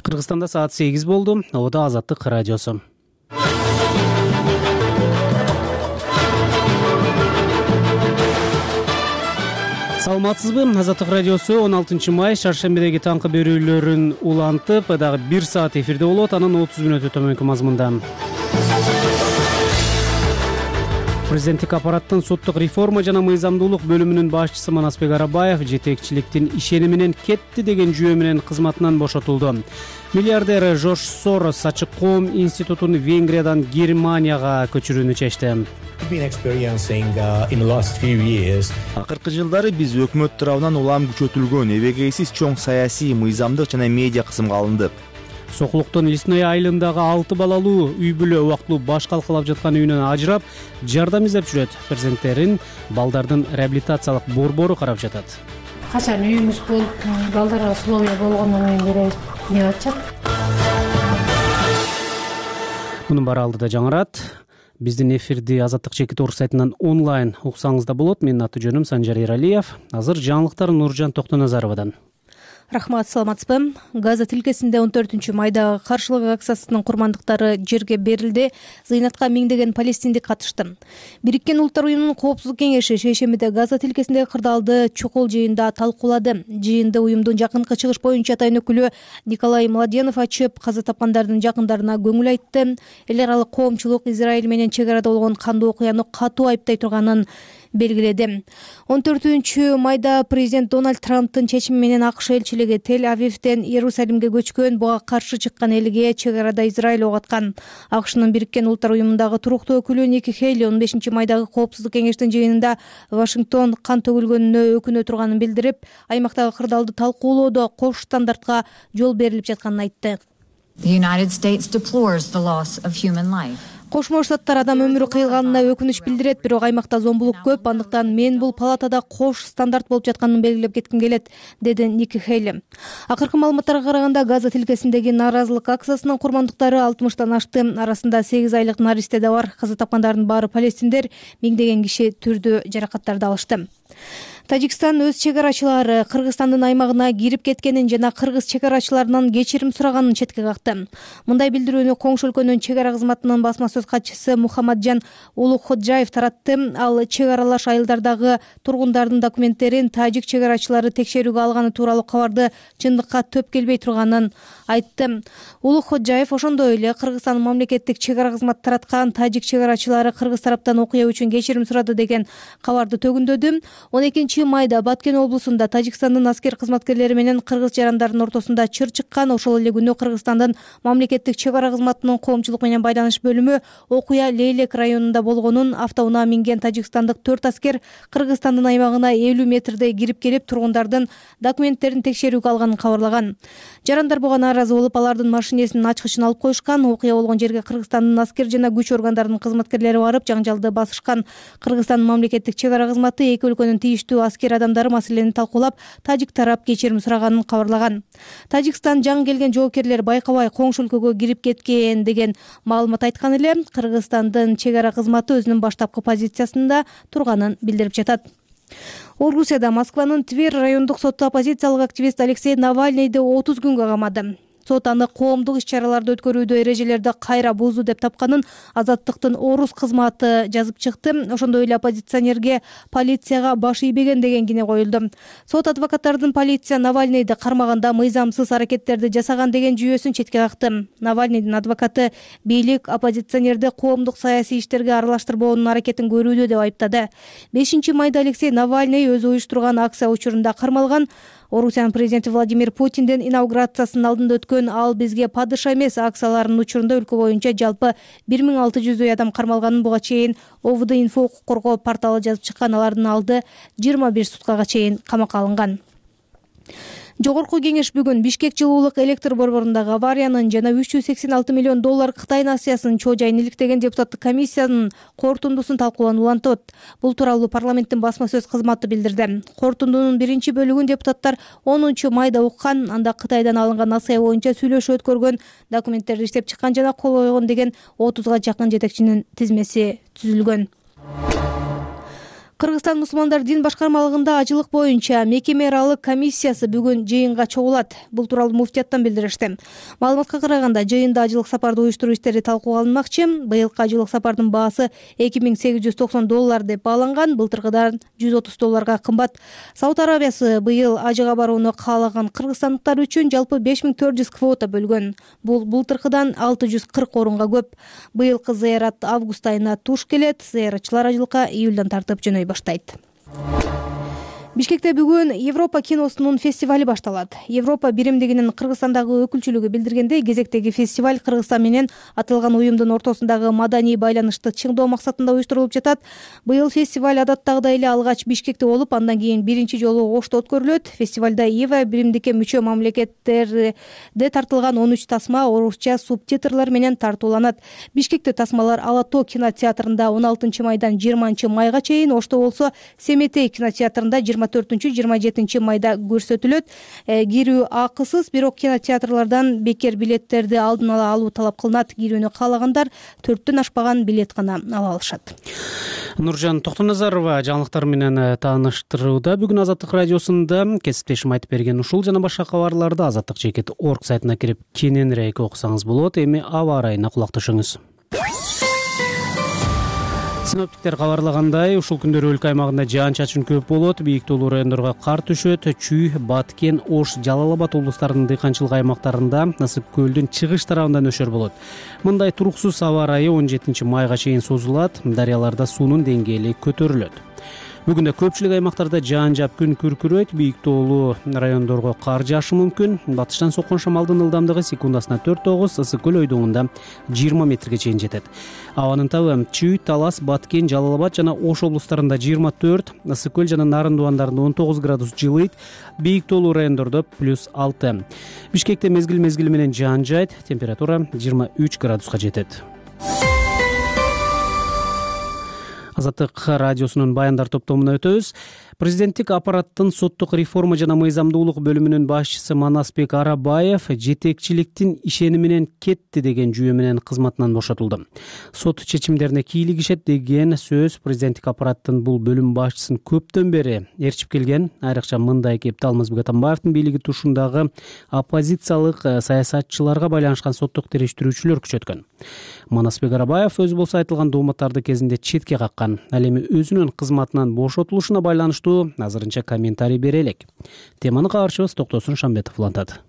Кыргызстанда саат 8 болду. Ода Азаттык радиосу. Саламатсызбы? Азаттык радиосу 16 май шаршембидеги таңкы берүүлөрүн улантып, дагы 1 саат эфирде болот. Анын 30 мүнөтү төмөнкү мазмунда. Президенттик аппараттын соттук реформа жана мыйзамдуулук бөлүмүнүн башчысы Манасбек Арабаев жетекчиликтин ишениминен кетти деген жүйө менен кызматынан бошотулду. Миллиардер Жорж Сорос Ачык коом институтун Венгриядан Германияга көчүрүүнү чечти. Акыркы жылдары биз өкмөт тарабынан улам күчөтүлгөн, эбегейсиз чоң саясий, мыйзамдык жана медиа кысымга алындык. Сокулуктун Лесной айылындагы 6 балалуу үй бүлө убактылуу баш калкалап жаткан үйүнөн ажырап, жардам издеп жүрөт. Президенттерин балдардын реабилитациялык борбору карап жатат. Качан үйүмүз болуп, балдарга условия болгондон кийин беребиз деп атышат. Мунун баары алдыда жаңырат. Биздин эфирди Азаттык чекит орг сайтынан онлайн уксаңыз да болот. Менин аты жөнүм Санжар Эралиев. Азыр жаңылыктар Нуржан Токтоназаровадан. Рахмат, саламатсызбы? Газа тилкесинде 14 майдагы каршылык акциясынын курмандыктары жерге берилди. Зыйнатка миңдеген палестиндик катышты. Бириккен Улуттар уюмунун Коопсуздук кеңеши шейшембиде Газа тилкесиндеги кырдаалды чукул жыйында талкуулады. Жыйынды уюмдун жакынкы чыгыш боюнча атайын өкүлү Николай Младенов ачып, каза тапкандардын жакындарына көңүл айтты. Эл аралык коомчулук Израиль менен чек арада болгон кандуу окуяны катуу айыптай турганын белгиледи. 14 майда президент Дональд Трамптын чечими менен АКШ элчилиги Тель-Авивден Иерусалимге көчкөн, буга каршы чыккан элге чек арада Израиль ок аткан. АКШнын Бириккен Улуттар уюмундагы туруктуу өкүлү Ники Хейли 15 майдагы Коопсуздук кеңештин жыйынында Вашингтон кан төгүлгөнүнө өкүнө турганын билдирип, аймактагы кырдаалды талкуулоодо кош стандартка жол берилип жатканын айтты. Кошмо Штаттар адам өмүрү кыйылганына өкүнүч билдирет, бирок аймакта зомбулук көп, андыктан мен бул палатада кош стандарт болуп жатканын белгилеп кетким келет, деди Ники Хейли. Акыркы маалыматтарга караганда Газа тилкесиндеги нааразылык акциясынын курмандыктары 60тан ашты. Арасында 8 айлык наристе да бар. Каза тапкандардын баары палестиндер, миңдеген киши түрдүү жаракаттарды алышты. Тажикстан өз чек арачылары Кыргызстандын аймагына кирип кеткенин жана кыргыз чек арачыларынан кечирим сураганын четке какты. Мындай билдирүүнү Коңшу өлкөнүн чек ара кызматынын басма сөз катчысы Мухаммаджан Улукходжаев таратты. Ал чек аралаш айылдардагы тургундардын документтерин тажик чек арачылары текшерүүгө алганы тууралуу кабарды чындыкка төп келбей турганын айтты. Улукходжаев ошондой эле Кыргызстандын мамлекеттик чек ара кызматы тараткан тажик чек арачылары кыргыз тараптан окуя үчүн кечирим сурады деген кабарды төгүндөдү. 12 майда Баткен облусунда Тажикстандын аскер кызматкерлери менен кыргыз жарандардын ортосунда чыр чыккан. Ошол эле күнү Кыргызстандын мамлекеттик чек ара кызматынын коомчулук менен байланыш бөлүмү окуя Лейлек районунда болгонун, автоунаа минген тажикстандык 4 аскер Кыргызстандын аймагына 50 метрдей кирип келип, тургундардын документтерин текшерүүгө алганын кабарлаган. Жарандар буга нааразы болуп, алардын машинесинин ачкычын алып коюшкан. Окуя болгон жерге Кыргызстандын аскер жана күч органдарынын кызматкерлери барып, жаңжалды басышкан. Кыргызстандын мамлекеттик чек ара кызматы эки өлкөнүн тийиштүү аскер адамдары маселени талкуулап, тажик тарап кечирим сураганын кабарлаган. Тажикстан жаңы келген жоокерлер байкабай Коңшу өлкөгө кирип кеткен деген маалымат айткан эле, Кыргызстандын чек ара кызматы өзүнүн баштапкы позициясында турганын билдирип жатат. Орусияда Москванын Тверь райондук соту оппозициялык активист Алексей Навальныйды 30 күнгө камады. Сот аны коомдук иш-чараларды өткөрүүдө эрежелерди кайра бузду деп тапканын Азаттыктын Орус кызматы жазып чыкты. Ошондой эле оппозиционерге полицияга баш ийбеген деген кине коюлду. Сот адвокаттардын полиция Навальныйды кармаганда мыйзамсыз аракеттерди жасаган деген жүйөсүн четке какты. Навальныйдын адвокаты бийлик оппозиционерди коомдук саясий иштерге аралаштырбоонун аракетин көрүүдө деп айыптады. 5 майда Алексей Навальный өзү уюштурган акция учурунда кармалган. Орусиянын президенти Владимир Путиндин инаугурациясынын алдында өткөн "Ал бизге падыша эмес" акцияларынын учурунда өлкө боюнча жалпы 1600 адам кармалганын буга чейин ОВД-инфо укук коргоо порталы жазып чыккан. Алардын алды 21 суткага чейин камакка алынган. Жогорку кеңеш бүгүн Бишкек жылуулук электр борборундагы авариянын жана 386 миллион доллар Кытай насыясынын чоо жайын иликтеген депутаттык комиссиянын корутундусун талкууланып улантат. Бул тууралуу парламенттин басма сөз кызматы билдирди. Корутундунун биринчи бөлүгүн депутаттар 10 майда уккан. Анда Кытайдан алынган насыя боюнча сүйлөшүү өткөргөн, документтерди иштеп чыккан жана кол койгон деген 30га жакын жетекчинин тизмеси түзүлгөн. Кыргызстан мусулмандар дин башкармалыгында ажылык боюнча мекеме аралык комиссиясы бүгүн жыйынга чогулат. Бул тууралуу муфтияттан билдиришти. Маалыматка караганда жыйында ажылык сапарды уюштуруу иштери талкууга алынмакчы. Быйылкы ажылык сапардын баасы $2890 деп бааланган, былтыркыдан $130 кымбат. Сауд Арабиясы быйыл ажыга барууну каалаган кыргызстандыктар үчүн жалпы 5400 квота бөлгөн. Бул былтыркыдан 640 орунга көп. Быйылкы зыярат август айына туш келет. Зыяратчылар ажылыкка июлдан тартып жөнөй баштайт. Бишкекте бүгүн Европа киносунун фестивали башталат. Европа биримдигинин Кыргызстандагы өкүлчүлүгү билдиргендей, кезектеги фестиваль Кыргызстан менен аталган уюмдун ортосундагы маданий байланышты чыңдоо максатында уюштурулуп жатат. Быйыл фестиваль адаттагыдай эле алгач Бишкекте болуп, андан кийин биринчи жолу Ошто өткөрүлөт. Фестивалда ЕВА биримдикке мүчө мамлекеттерде тартылган 13 тасма орусча субтитрлар менен тартууланат. Бишкекте тасмалар Ала Тоо кинотеатрында 16 майдан 20 майга чейин, Ошто болсо Семетей кинотеатрында 24-27 майда көрсөтүлөт. Кирүү акысыз, бирок кинотеатрлардан бекер билеттерди алдын ала алуу талап кылынат. Кирүүнү каалагандар 4төн ашпаган билет гана ала алышат. Нуржан Токтоназарова жаңылыктар менен тааныштырууда. Бүгүн Азаттык радиосунда кесиптешим айтып берген ушул жана башка кабарларды azattik.org сайтына кирип кененирээк окусаңыз болот. Эми аба ырайына кулак түшүңүз. Синоптиктер кабарлагандай, ушул күндөрү өлкө аймагында жаан-чачын көп болот. Бийик тоолуу райондорго кар түшөт. Чүй, Баткен, Ош, Жалал Абад облустарынын дыйканчылык аймактарында Насып көлдүн чыгыш тарабында нөшөр болот. Мындай туруксуз аба ырайы 17 майга чейин созулат. Дарыяларда суунун деңгээли көтөрүлөт. Бүгүн да көпчүлүк аймактарда жаан жаап күн күркүрөйт. Бийик тоолуу райондорго кар жаашы мүмкүн. Батыштан соккон шамалдын ылдамдыгы секундасына 4-9, Ысык көл ойдуңунда 20 метрге чейин жетет. Абанын табы Чүй, Талас, Баткен, Жалал Абад жана Ош облустарында 24, Ысык көл жана Нарын дубандарында 19 градус жылыйт. Бийик тоолуу райондордо +6. Бишкекте мезгил менен жаан жайт. Температура 23 градуска жетет. Азаттык радиосунун баяндар топтомуна өтөбүз. Президенттик аппараттын соттук реформа жана мыйзамдуулук бөлүмүнүн башчысы Манасбек Арабаев жетекчиликтин ишениминен кетти деген жүйө менен кызматынан бошотулду. Сот чечимдерине кийлигишет деген сөз президенттик аппараттын бул бөлүм башчысын көптөн бери ээрчип келген. Айрыкча мындай кепти Алмазбек Атамбаевдин бийлиги тушундагы оппозициялык саясатчыларга байланышкан соттук териштирүүчүлөр күчөткөн. Манасбек Арабаев өзү болсо айтылган дооматтарды кезинде четке каккан. Ал эми өзүнүн кызматынан бошотулушуна байланыштуу азырынча комментарий бере элек. Теманы кабарчыбыз Токтосун Шамбетов улантат.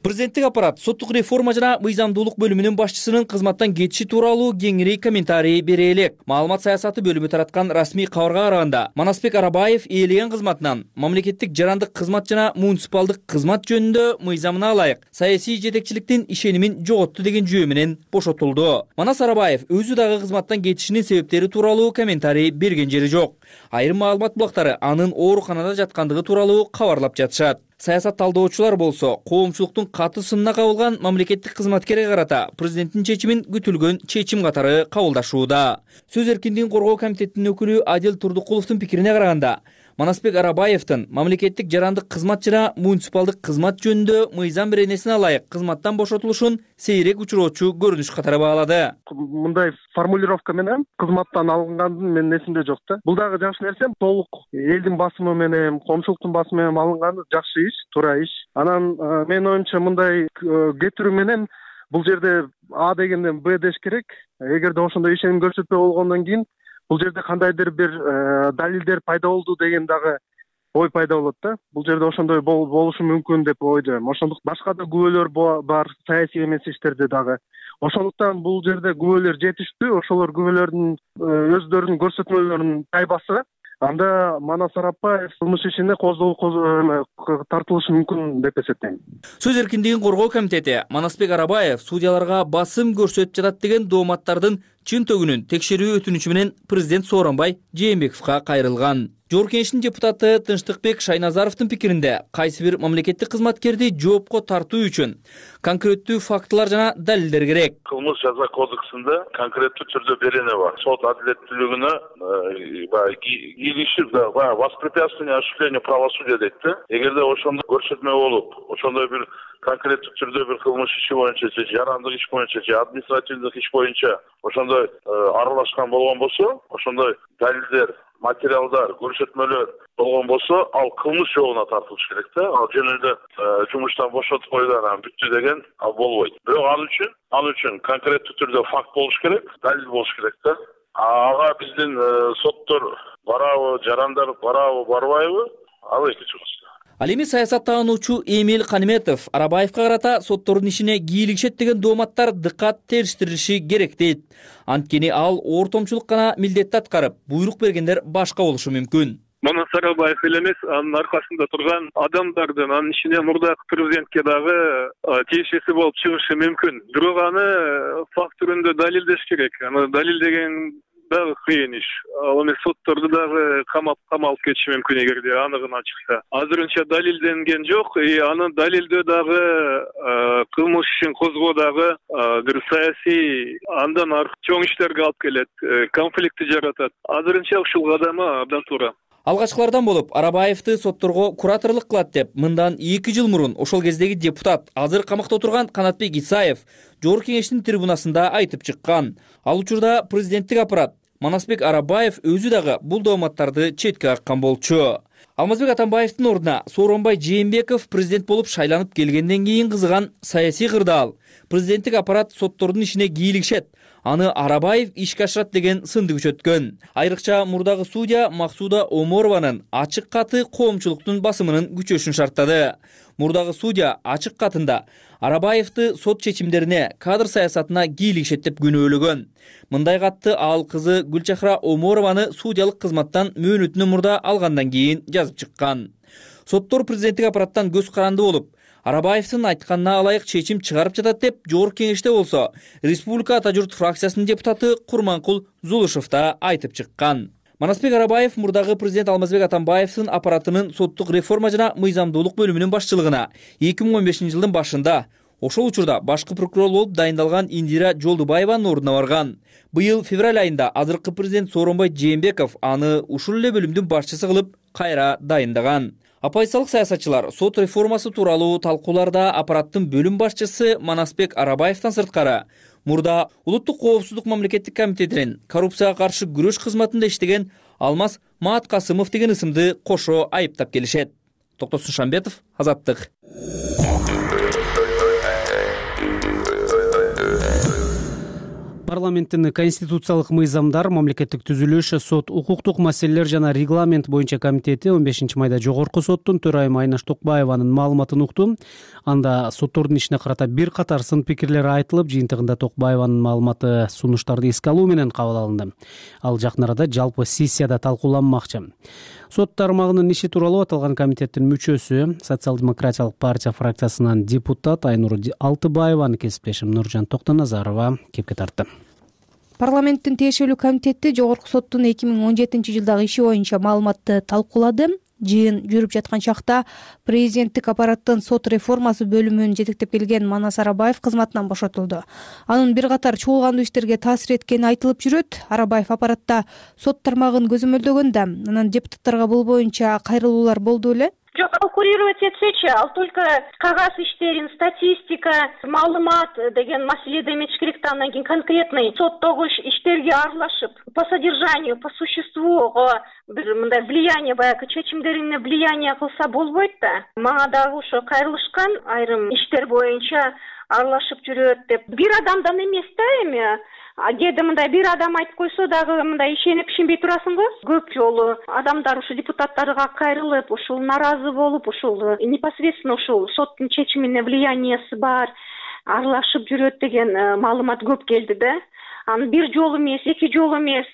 Президенттик аппарат соттук реформа жана мыйзамдуулук бөлүмүнүн башчысынын кызматтан кетиши тууралуу кеңири комментарий бере элек. Маалымат саясаты бөлүмү тараткан расмий кабарга караганда, Манасбек Арабаев ээлеген кызматынан мамлекеттик жарандык кызмат жана муниципалдык кызмат жөнүндө мыйзамына ылайык саясий жетекчиликтин ишенимин жоготту деген жүйө менен бошотулду. Манас Арабаев өзү дагы кызматтан кетишинин себептери тууралуу комментарий берген жери жок. Айрым маалымат булактары анын ооруканада жаткандыгы тууралуу кабарлап жатышат. Саясат талдоочулар болсо, коомчулуктун каты сынына кабылган мамлекеттик кызматкерге карата президенттин чечимин күтүлгөн чечим катары кабылдашууда. Сөз эркиндигин коргоо комитетинин өкүлү Адил Турдукуловдун пикирине караганда, Манасбек Арабаевдин мамлекеттик жарандык кызмат жана муниципалдык кызмат жөнүндө мыйзам беренесине ылайык кызматтан бошотулушун сейрек учуроочу көрүнүш катары баалады. Мындай формулировка менен кызматтан алынгандын менин эсимде жок да. Бул дагы жакшы нерсе. Толук элдин басымы менен, коомчулуктун басымы менен алынганы жакшы иш, туура иш. Анан менин оюмча мындай кетирүү менен бул жерде А дегенден Б деш керек. Эгерде ошондой ишеним көрсөтпөй болгондон кийин бул жерде кандайдыр бир далилдер пайда болду деген дагы ой пайда болот да. Бул жерде ошондой болушу мүмкүн деп ойлойм. Ошондук башка да күбөлөр бар, саясий эмес иштерде дагы. Ошондуктан бул жерде күбөлөр жетиштүү, ошолор күбөлөрдүн өздөрүнүн көрсөтмөлөрүнүн тайбасы. Анда Манас Арабаев кылмыш ишине тартылышы мүмкүн деп эсептейм. Сөз эркиндигин коргоо комитети Манасбек Арабаев судьяларга басым көрсөтүп жатат деген дооматтардын чын төгүнүн текшерүү өтүнүчү менен президент Сооронбай Жээнбековго кайрылган. Жогорку Кеңештин депутаты Тынчтыкбек Шайназаровдун пикиринде, кайсы бир мамлекеттик кызматкерди жоопко тартуу үчүн конкреттүү фактылар жана далилдер керек. Кылмыш жаза кодексинде конкреттүү түрдө берене бар. Сот адилеттүүлүгүнө кийлигишип воспрепятствование осуществлению правосудия дейт да. Эгерде ошондой көрсөтмө болуп, ошондой бир конкреттүү түрдө бир кылмыш иши боюнча же жарандык иш боюнча же административдик иш боюнча ошондой аралашкан болгон болсо, ошондой далилдер материалдар, көрсөтмөлөр болгон болсо, ал кылмыш жообуна тартылыш керек да. Ал жөн эле жумуштан бошотуп койду, анан бүттү деген ал болбойт. Бирок ал үчүн конкреттүү түрдө факт болуш керек, далил болуш керек да. Ага биздин соттор барабы, жарандар барабы, барбайбы? Ал экинчи кыз. Ал эми саясаттануучу Эмил Каниметов Арабаевка карата соттордун ишине кийлигишет деген дооматтар дыккат териштирилиши керек дейт. Анткени ал ортомчулук гана милдетти аткарып, буйрук бергендер башка болушу мүмкүн. Манас Арабаев эле эмес, анын аркасында турган адамдардын анын ичине мурдагы президентке дагы тиешеси болуп чыгышы мүмкүн. Бирок аны факт түрүндө далилдеш керек. Аны далилдеген дагы кыйын иш. Ал эми сотторду дагы камалып кетиши мүмкүн эгерде аныгына чыкса. Азырынча далилденген жок, аны далилдөө дагы кылмыш ишин козгоо дагы бир саясий андан чоң иштерге алып келет, конфликтти жаратат. Азырынча ушул кадамы абдан туура. Алгачкылардан болуп Арабаевди сотторго кураторлук кылат деп мындан 2 жыл мурун ошол кездеги депутат, азыр камакта отурган Канатбек Исаев Жогорку кеңештин трибунасында айтып чыккан. Ал учурда президенттик аппарат Манасбек Арабаев өзү дагы бул дооматтарды четке каккан болчу. Алмазбек Атамбаевдин ордуна Сооронбай Жээнбеков президент болуп шайланып келгенден кийин кызыган саясий кырдаал. Президенттик аппарат соттордун ишине кийлигишет, аны Арабаев ишке ашырат деген сынды күчөткөн. Айрыкча мурдагы судья Максуда Оморованын ачык каты коомчулуктун басымынын күчөшүн шарттады. Мурдагы судья ачык катында Арабаевди сот чечимдерине, кадр саясатына кийлигишет деп күнөөлөгөн. Мындай катты ал кызы Гүлчахра Оморованы судьялык кызматтан мөөнөтүнөн мурда алгандан кийин жазып чыккан. Соттор президенттик аппараттан көз каранды болуп, Арабаевдин айтканына алайык чечим чыгарып жатат деп Жогорку кеңеште болсо, Республика Ата журт фракциясынын депутаты Курманкул Зулушев да айтып чыккан. Манасбек Арабаев мурдагы президент Алмазбек Атамбаевдин аппаратынын соттук реформа жана мыйзамдуулук бөлүмүнүн башчылыгына 2015 жылдын башында, ошол учурда башкы прокурор болуп дайындалган Индира Жолдубаеванын ордуна барган. Быйыл февраль айында азыркы президент Сооронбай Жээнбеков аны ушул эле бөлүмдүн башчысы кылып кайра дайындаган. Оппозициялык саясатчылар сот реформасы тууралуу талкууларда аппараттын бөлүм башчысы Манасбек Арабаевден сырткары мурда Улуттук коопсуздук мамлекеттик комитетинин коррупцияга каршы күрөш кызматында иштеген Алмаз Мааткасымов деген ысымды кошо айыптап келишет. Токтосун Шамбетов, Азаттык. Парламенттин конституциялык мыйзамдар, мамлекеттик түзүлүш, сот укуктук маселелер жана регламент боюнча комитети 15 майда Жогорку соттун төрайымы Айнаш Токбаеванын маалыматын укту. Анда соттордун ишине карата бир катар сын пикирлер айтылып, жыйынтыгында Токбаеванын маалыматы сунуштарды эске алуу менен кабыл алынды. Ал жакын арада жалпы сессияда талкууланмакчы. Сот тармагынын иши тууралуу аталган комитеттин мүчөсү, Социал-демократиялык партия фракциясынан депутат Айнур Алтыбаеваны кесиптешим Нуржан Токтоназарова кепке тартты. Парламенттин тиешелүү комитети Жогорку соттун 2017 жылдагы иши боюнча маалыматты талкуулады. Жыйын жүрүп жаткан чакта президенттик аппараттын сот реформасы бөлүмүн жетектеп келген Манас Арабаев кызматынан бошотулду. Анын бир катар чуулгандуу иштерге таасир эткени айтылып жүрөт. Арабаев аппаратта сот тармагын көзөмөлдөгөн да, анан депутаттарга бул боюнча кайрылуулар болду беле? Жок, курировать этсечи, ал только кагаз иштерин, статистика, маалымат деген маселеде эмес керек да, андан кийин конкретный соттогу иштерге аралашып, по содержанию, по существу бир мындай влияние, баягы чечимдерине влияние кылса болбойт да. Мага дагы ошо кайрылышкан айрым иштер боюнча аралашып жүрөт деп. Бир адамдан эмес да эми. Кээде мындай бир адам айтып койсо дагы мындай ишенбей турасың го. Көп жолу адамдар ушу депутаттарга кайрылып, ушул наразы болуп, ушул непосредственно ушул соттун чечимине влияниясы бар, аралашып жүрөт деген маалымат көп келди да. Аны бир жолу эмес, эки жолу эмес,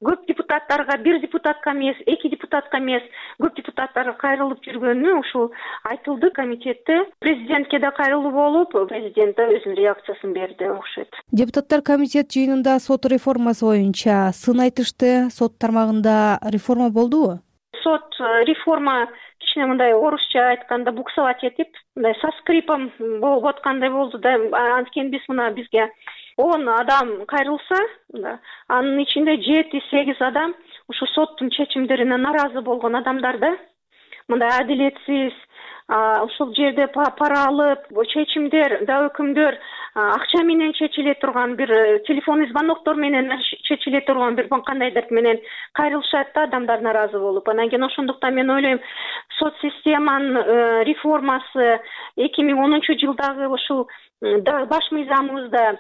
көп депутаттарга, бир депутатка эмес, эки депутатка эмес, көп депутаттарга кайрылып жүргөнү ушул айтылды комитетте. Президентке да кайрылуу болуп, президент да өзүнүн реакциясын берди окшойт. Депутаттар комитет жыйынында сот реформасы боюнча сын айтышты. Сот тармагында реформа болдубу? Сот реформа кичине мындай орусча айтканда буксовать этип, мындай со скрипом болуп аткандай болду да. Анткени бизге 10 адам кайрылса, анын ичинде 7-8 адам ушу соттун чечимдерине наразы болгон адамдар да. Мындай адилетсиз, ушул жерде пара алып, чечимдер да өкүмдөр акча менен чечиле турган, бир телефонный звоноктор менен чечиле турган бир кандайдыр менен кайрылышат да адамдар наразы болуп. Анан кийин ошондуктан мен ойлойм, сот системанын реформасы 2010-жылдагы ушул баш мыйзамыбызда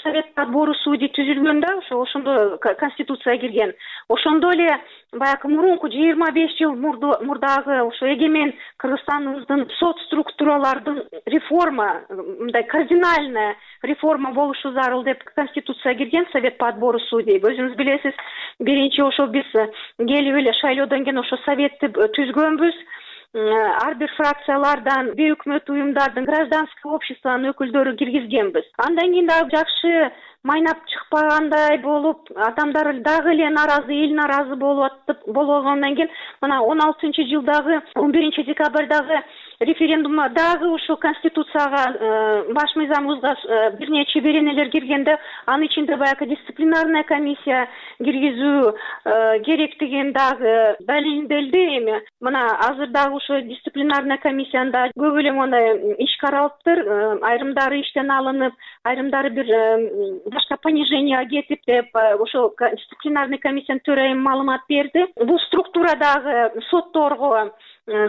совет подбору судей түзүлгөн да, ошондо конституцияга кирген. Ошондо эле баягы мурунку 25 жыл мурдагы ошо эгемен Кыргызстаныбыздын сот структуралардын реформа, мындай кардинальная реформа болушу зарыл деп конституцияга кирген совет подбору судей. Өзүңүз билесиз, биринчи ошо биз келип эле шайлоодон кийин ошо советти түзгөнбүз. Ар бир фракциялардан, бейөкмөт уюмдардын, гражданский обществонун өкүлдөрү киргизгенбиз. Андан кийин дагы жакшы майнап чыкпагандай болуп, адамдар дагы эле наразы, эл наразы болгондон кийин мына 16-жылдагы 11-декабрдагы референдумда дагы ушул конституцияга, баш мыйзамыбызга бир нече беренелер киргенде, анын ичинде баягы дисциплинарная комиссия киргизүү керектигин дагы далилделди. Эми мына азыр дагы ушул дисциплинарная комиссияда көп эле мондай иш каралыптыр. Айрымдары иштен алынып, айрымдары бир башка пониженияга кетип деп ошол дисциплинарный комиссиянын төрайымы маалымат берди. Бул структурадагы сотторго,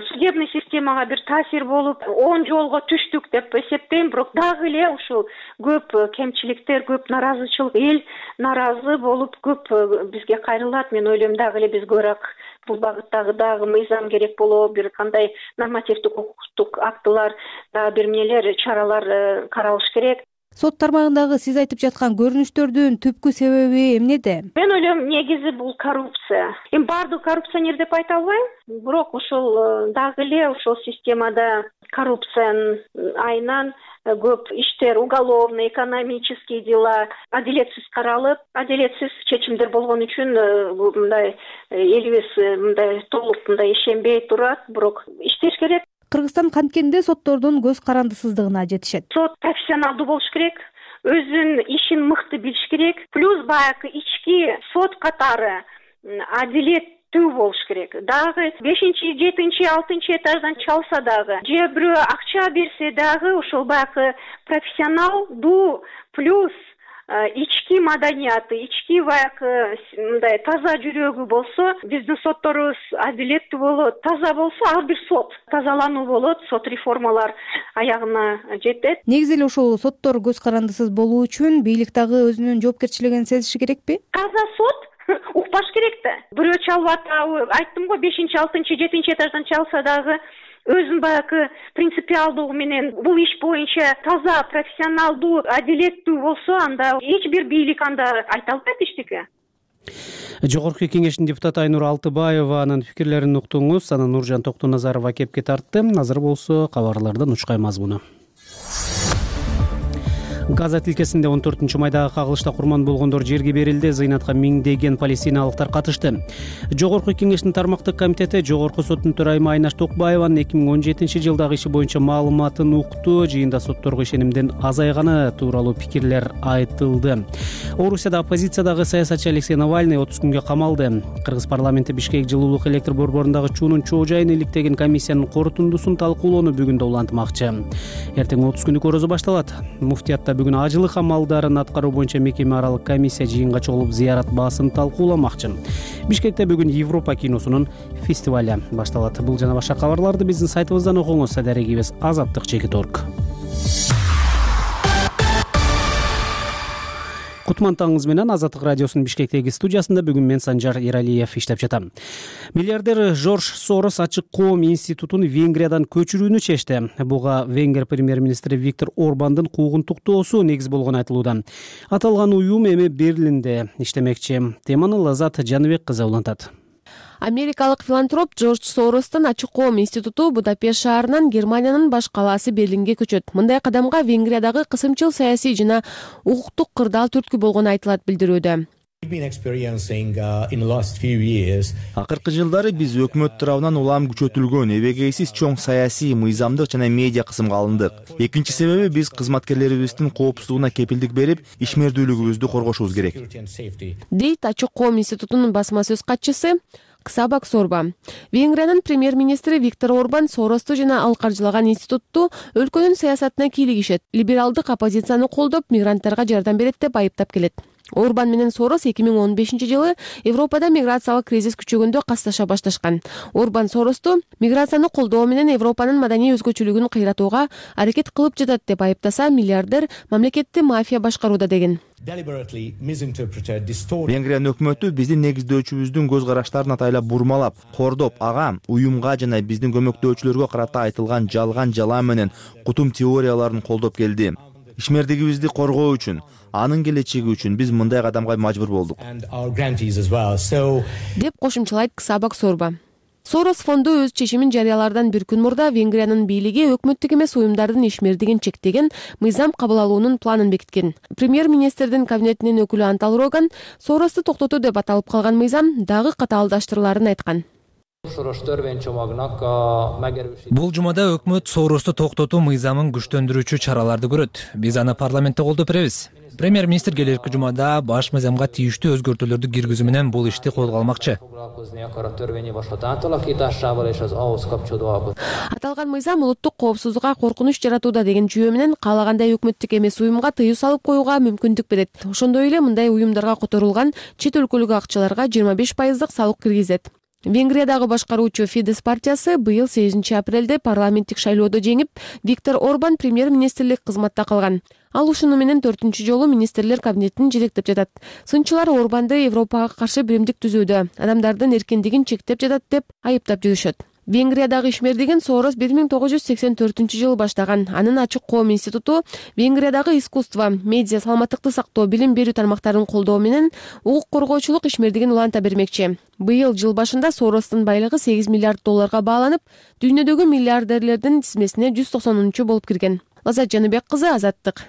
судебный системага бир таасир болуп, оң жолго түштүк деп эсептейм. Бирок дагы эле ушул көп кемчиликтер, көп наразычылык, эл наразы болуп көп бизге кайрылат. Мен ойлойм, дагы эле бизге бирок бул багыттагы дагы мыйзам керек болот, бир кандай нормативдик укуктук актылар, дагы бир эмнелер, чаралар каралыш керек. Сот тармагындагы сиз айтып жаткан көрүнүштөрдүн түпкү себеби эмнеде? Мен ойлойм, негизи бул коррупция. Эми баардык коррупционер деп айта албайм, бирок ушул дагы эле ушул системада коррупциянын айынан көп иштер, уголовный, экономический дела адилетсиз каралып, адилетсиз чечимдер болгон үчүн мындай элибиз мындай толук мындай ишенбей турат, бирок иштеш керек. Кыргызстан канткенде соттордун көз карандысыздыгына жетишет. Сот профессионалдуу болуш керек, өзүнүн ишин мыкты билиш керек, плюс баягы ички сот катары адилеттүү болуш керек. Дагы 5-чи, 7-чи, 6-чы этаждан чалса дагы, же бирөө акча берсе дагы ошол баягы профессионалдуу плюс ички маданияты, ички баягы мындай таза жүрөгү болсо, биздин сотторубуз адилеттүү болот. Таза болсо, ар бир сот тазалануу болот, сот реформалар аягына жетет. Негизи эле ушул соттор көз карандысыз болуу үчүн бийлик дагы өзүнүн жоопкерчилигин сезиши керекпи? Таза сот укпаш керек да. Бирөө чалып атабы, айттым го, 5-чи, 6-чы, 7-чи этаждан чалса дагы өзүн баягы принципиалдуу менен бул иш боюнча таза, профессионалдуу, адилеттүү болсо, анда эч бир бийлик анда айта албайт эчтеке. Жогорку кеңештин депутаты Айнур Алтыбаеванын пикирлерин уктуңуз. Анан Нуржан Токтоназарова кепке тартты. Азыр болсо кабарлардан учкай мазмуну. Газа тилкесинде 14-майдагы кагылышта курман болгондор жерге берилди. Зыйнатка миңдеген палестиналыктар катышты. Жогорку кеңештин тармактык комитети Жогорку соттун төрайымы Айнаш Токбаеванын 2017-жылдагы иши боюнча маалыматын укту. Жыйында сотторго ишенимдин азайганы тууралуу пикирлер айтылды. Орусияда оппозициядагы саясатчы Алексей Навальный 30 күнгө камалды. Кыргыз парламенти Бишкек жылуулук электр борборундагы чуунун чоо жайын иликтеген комиссиянын корутундусун талкуулоону бүгүн да улантмакчы. Эртең 30 күндүк орозо башталат. Муфтиятта бүгүн ажылык амалдарын аткаруу боюнча мекеме аралык комиссия жыйынга чогулуп зыярат баасын талкууламакчы. Бишкекте бүгүн Европа киносунун фестивалю башталат. Бул жана башка кабарларды биздин сайтыбыздан окуңуз. Дарегибиз azatlyk.org. Кутман таңыңыз менен Азаттык радиосунун Бишкектеги студиясында бүгүн мен Санжар Эралиев иштеп жатам. Миллиардер Жорж Сорос Ачык коом институтун Венгриядан көчүрүүнү чечти. Буга Венгер премьер-министри Виктор Орбандын куугунтуктоосу негиз болгону айтылууда. Аталган уюм эми Берлинде иштемекчи. Теманы Лазат Жаныбек кызы улантат. Америкалык филантроп Жорж Соростун Ачык коом институту Будапешт шаарынан Германиянын баш калаасы Берлинге көчөт. Мындай кадамга Венгриядагы кысымчыл саясий жана укуктук кырдаал түрткү болгону айтылат билдирүүдө. Акыркы жылдары биз өкмөт тарабынан улам күчөтүлгөн, эбегейсиз чоң саясий, мыйзамдык жана медиа кысымга алындык. Экинчи себеби биз кызматкерлерибиздин коопсуздугуна кепилдик берип, ишмердүүлүгүбүздү коргошубуз керек. Дейт Ачык коом институтунун басма сөз катчысы. Ксабак Сорба. Венгриянын премьер-министри Виктор Орбан Соросту жана ал каржылаган институтту өлкөнүн саясатына кийлигишет, либералдык оппозицияны колдоп, мигранттарга жардам берет деп айыптап келет. Орбан менен Сорос 2015-жылы Европада миграциялык кризис күчөгөндө касташа башташкан. Орбан Соросту миграцияны колдоо менен Европанын маданий өзгөчөлүгүн кыйратууга аракет кылып жатат деп айыптаса, миллиардер мамлекетти мафия башкарууда деген. Венгриянын өкмөтү биздин негиздөөчүбүздүн көз караштарын атайлап бурмалап, кордоп, ага уюмга жана биздин көмөктөөчүлөргө карата айтылган жалган жала менен кутум теорияларын колдоп келди. Ишмердигибизди коргоо үчүн, анын келечеги үчүн биз мындай кадамга мажбур болдук. Деп кошумчалайт Ксабак Сорба. Сорос фонду өз чечимин жарыялаардан бир күн мурда Венгриянын бийлиги өкмөттүк эмес уюмдардын ишмердигин чектеген мыйзам кабыл алуунун планын бекиткен. Премьер-министрдин кабинетинин өкүлү Антал Роган Соросту токтотуу деп аталып калган мыйзам дагы катаалдаштырыларын айткан. Бул жумада өкмөт Соросту токтотуу мыйзамын күчтөндүрүүчү чараларды көрөт. Биз аны парламентте колдоп беребиз. Премьер-министр келерки жумада баш мыйзамга тийиштүү өзгөртүүлөрдү киргизүү менен бул ишти колго Аталган мыйзам улуттук коопсуздукка коркунуч жаратууда деген жүйө менен каалагандай өкмөттүк эмес уюмга тыюу салып коюуга мүмкүндүк берет. Ошондой эле мындай уюмдарга которулган чет өлкөлүк акчаларга 25% салык киргизет. Венгриядагы башкаруучу Фидес партиясы быйыл 8 апрелде парламенттик шайлоодо жеңип, Виктор Орбан премьер-министрлик кызматта калган. Ал ушуну менен 4-чү жолу министрлер кабинетин жетектеп жатат. Сынчылар Орбанды Европага каршы биримдик түзүүдө, адамдардын эркиндигин чектеп жатат деп айыптап жүрүшөт. Венгриядагы ишмердигин Сорос 1984-жылы баштаган. Анын Ачык коом институту Венгриядагы искусство, медиа, саламаттыкты сактоо, билим берүү тармактарын колдоо менен укук коргоочулук ишмердигин уланта бермекчи. Быйыл жыл башында Соростун байлыгы 8 миллиард долларга бааланып, дүйнөдөгү миллиардерлердин тизмесине 190-чу болуп кирген. Лазат Жаныбек кызы, Азаттык.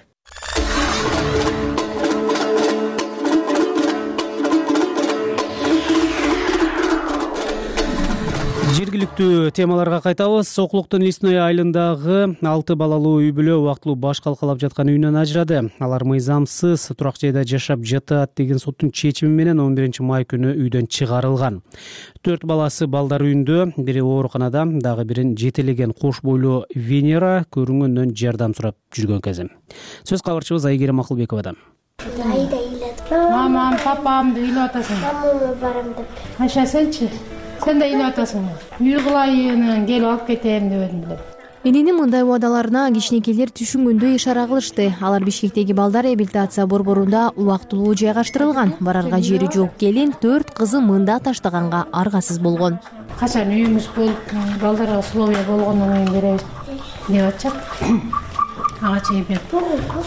Жергиликтүү темаларга кайтабыз. Сокулуктун Лесной айылындагы 6 балалуу үй бүлө убактылуу баш калкалап жаткан үйүнөн ажырады. Алар мыйзамсыз турак жайда жашап жатат деген соттун чечими менен 11-май күнү үйдөн чыгарылган. 4 баласы балдар үйүндө, бири ооруканада, дагы бирин жетелеген кош бойлуу Венера көрүнгөндөн жардам сурап жүргөн кезим. Сөз кабарчыбыз Айгерим Акылбековада. Мамам, папам деп ыйлап атасың. Мамама барам деп. Айша сенчи? Сен да ыйлап атасың. Үй кылайын, келип алып кетем дебедим беле. Эненин мындай убадаларына кичинекейлер түшүнгөндөй ишара кылышты. Алар Бишкектеги балдар реабилитация борборунда убактылуу жайгаштырылган. Барарга жери жок келин 4 кызы мында таштаганга аргасыз болгон. Качан үйүмүз болуп, балдарга условия болгондон кийин беребиз деп атышат. Ага чейин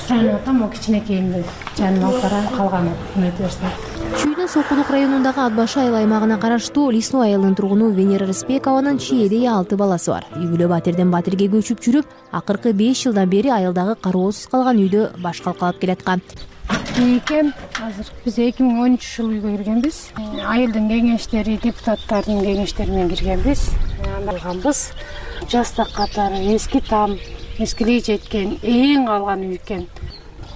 суранып атам, кичинекейимди жаныма алып барам, калганын эметип берсин. Чүйнү Сокулук районундагы Ат башы айыл аймагына караштуу Лесной айылынын тургуну Венера Рыспекованын чийеде 6 баласы бар. Үй бүлө батирден батирге көчүп жүрүп, акыркы 5 жылдан бери айылдагы кароосуз калган үйдө баш калкалап келаткан. Экен азыр биз 2013-жылы үйгө киргенбиз. Айылдын кеңештери, депутаттардын кеңештери менен киргенбиз. Анданбыз. Жастак катары эски там, эскилей жеткен, эң калган үй экен.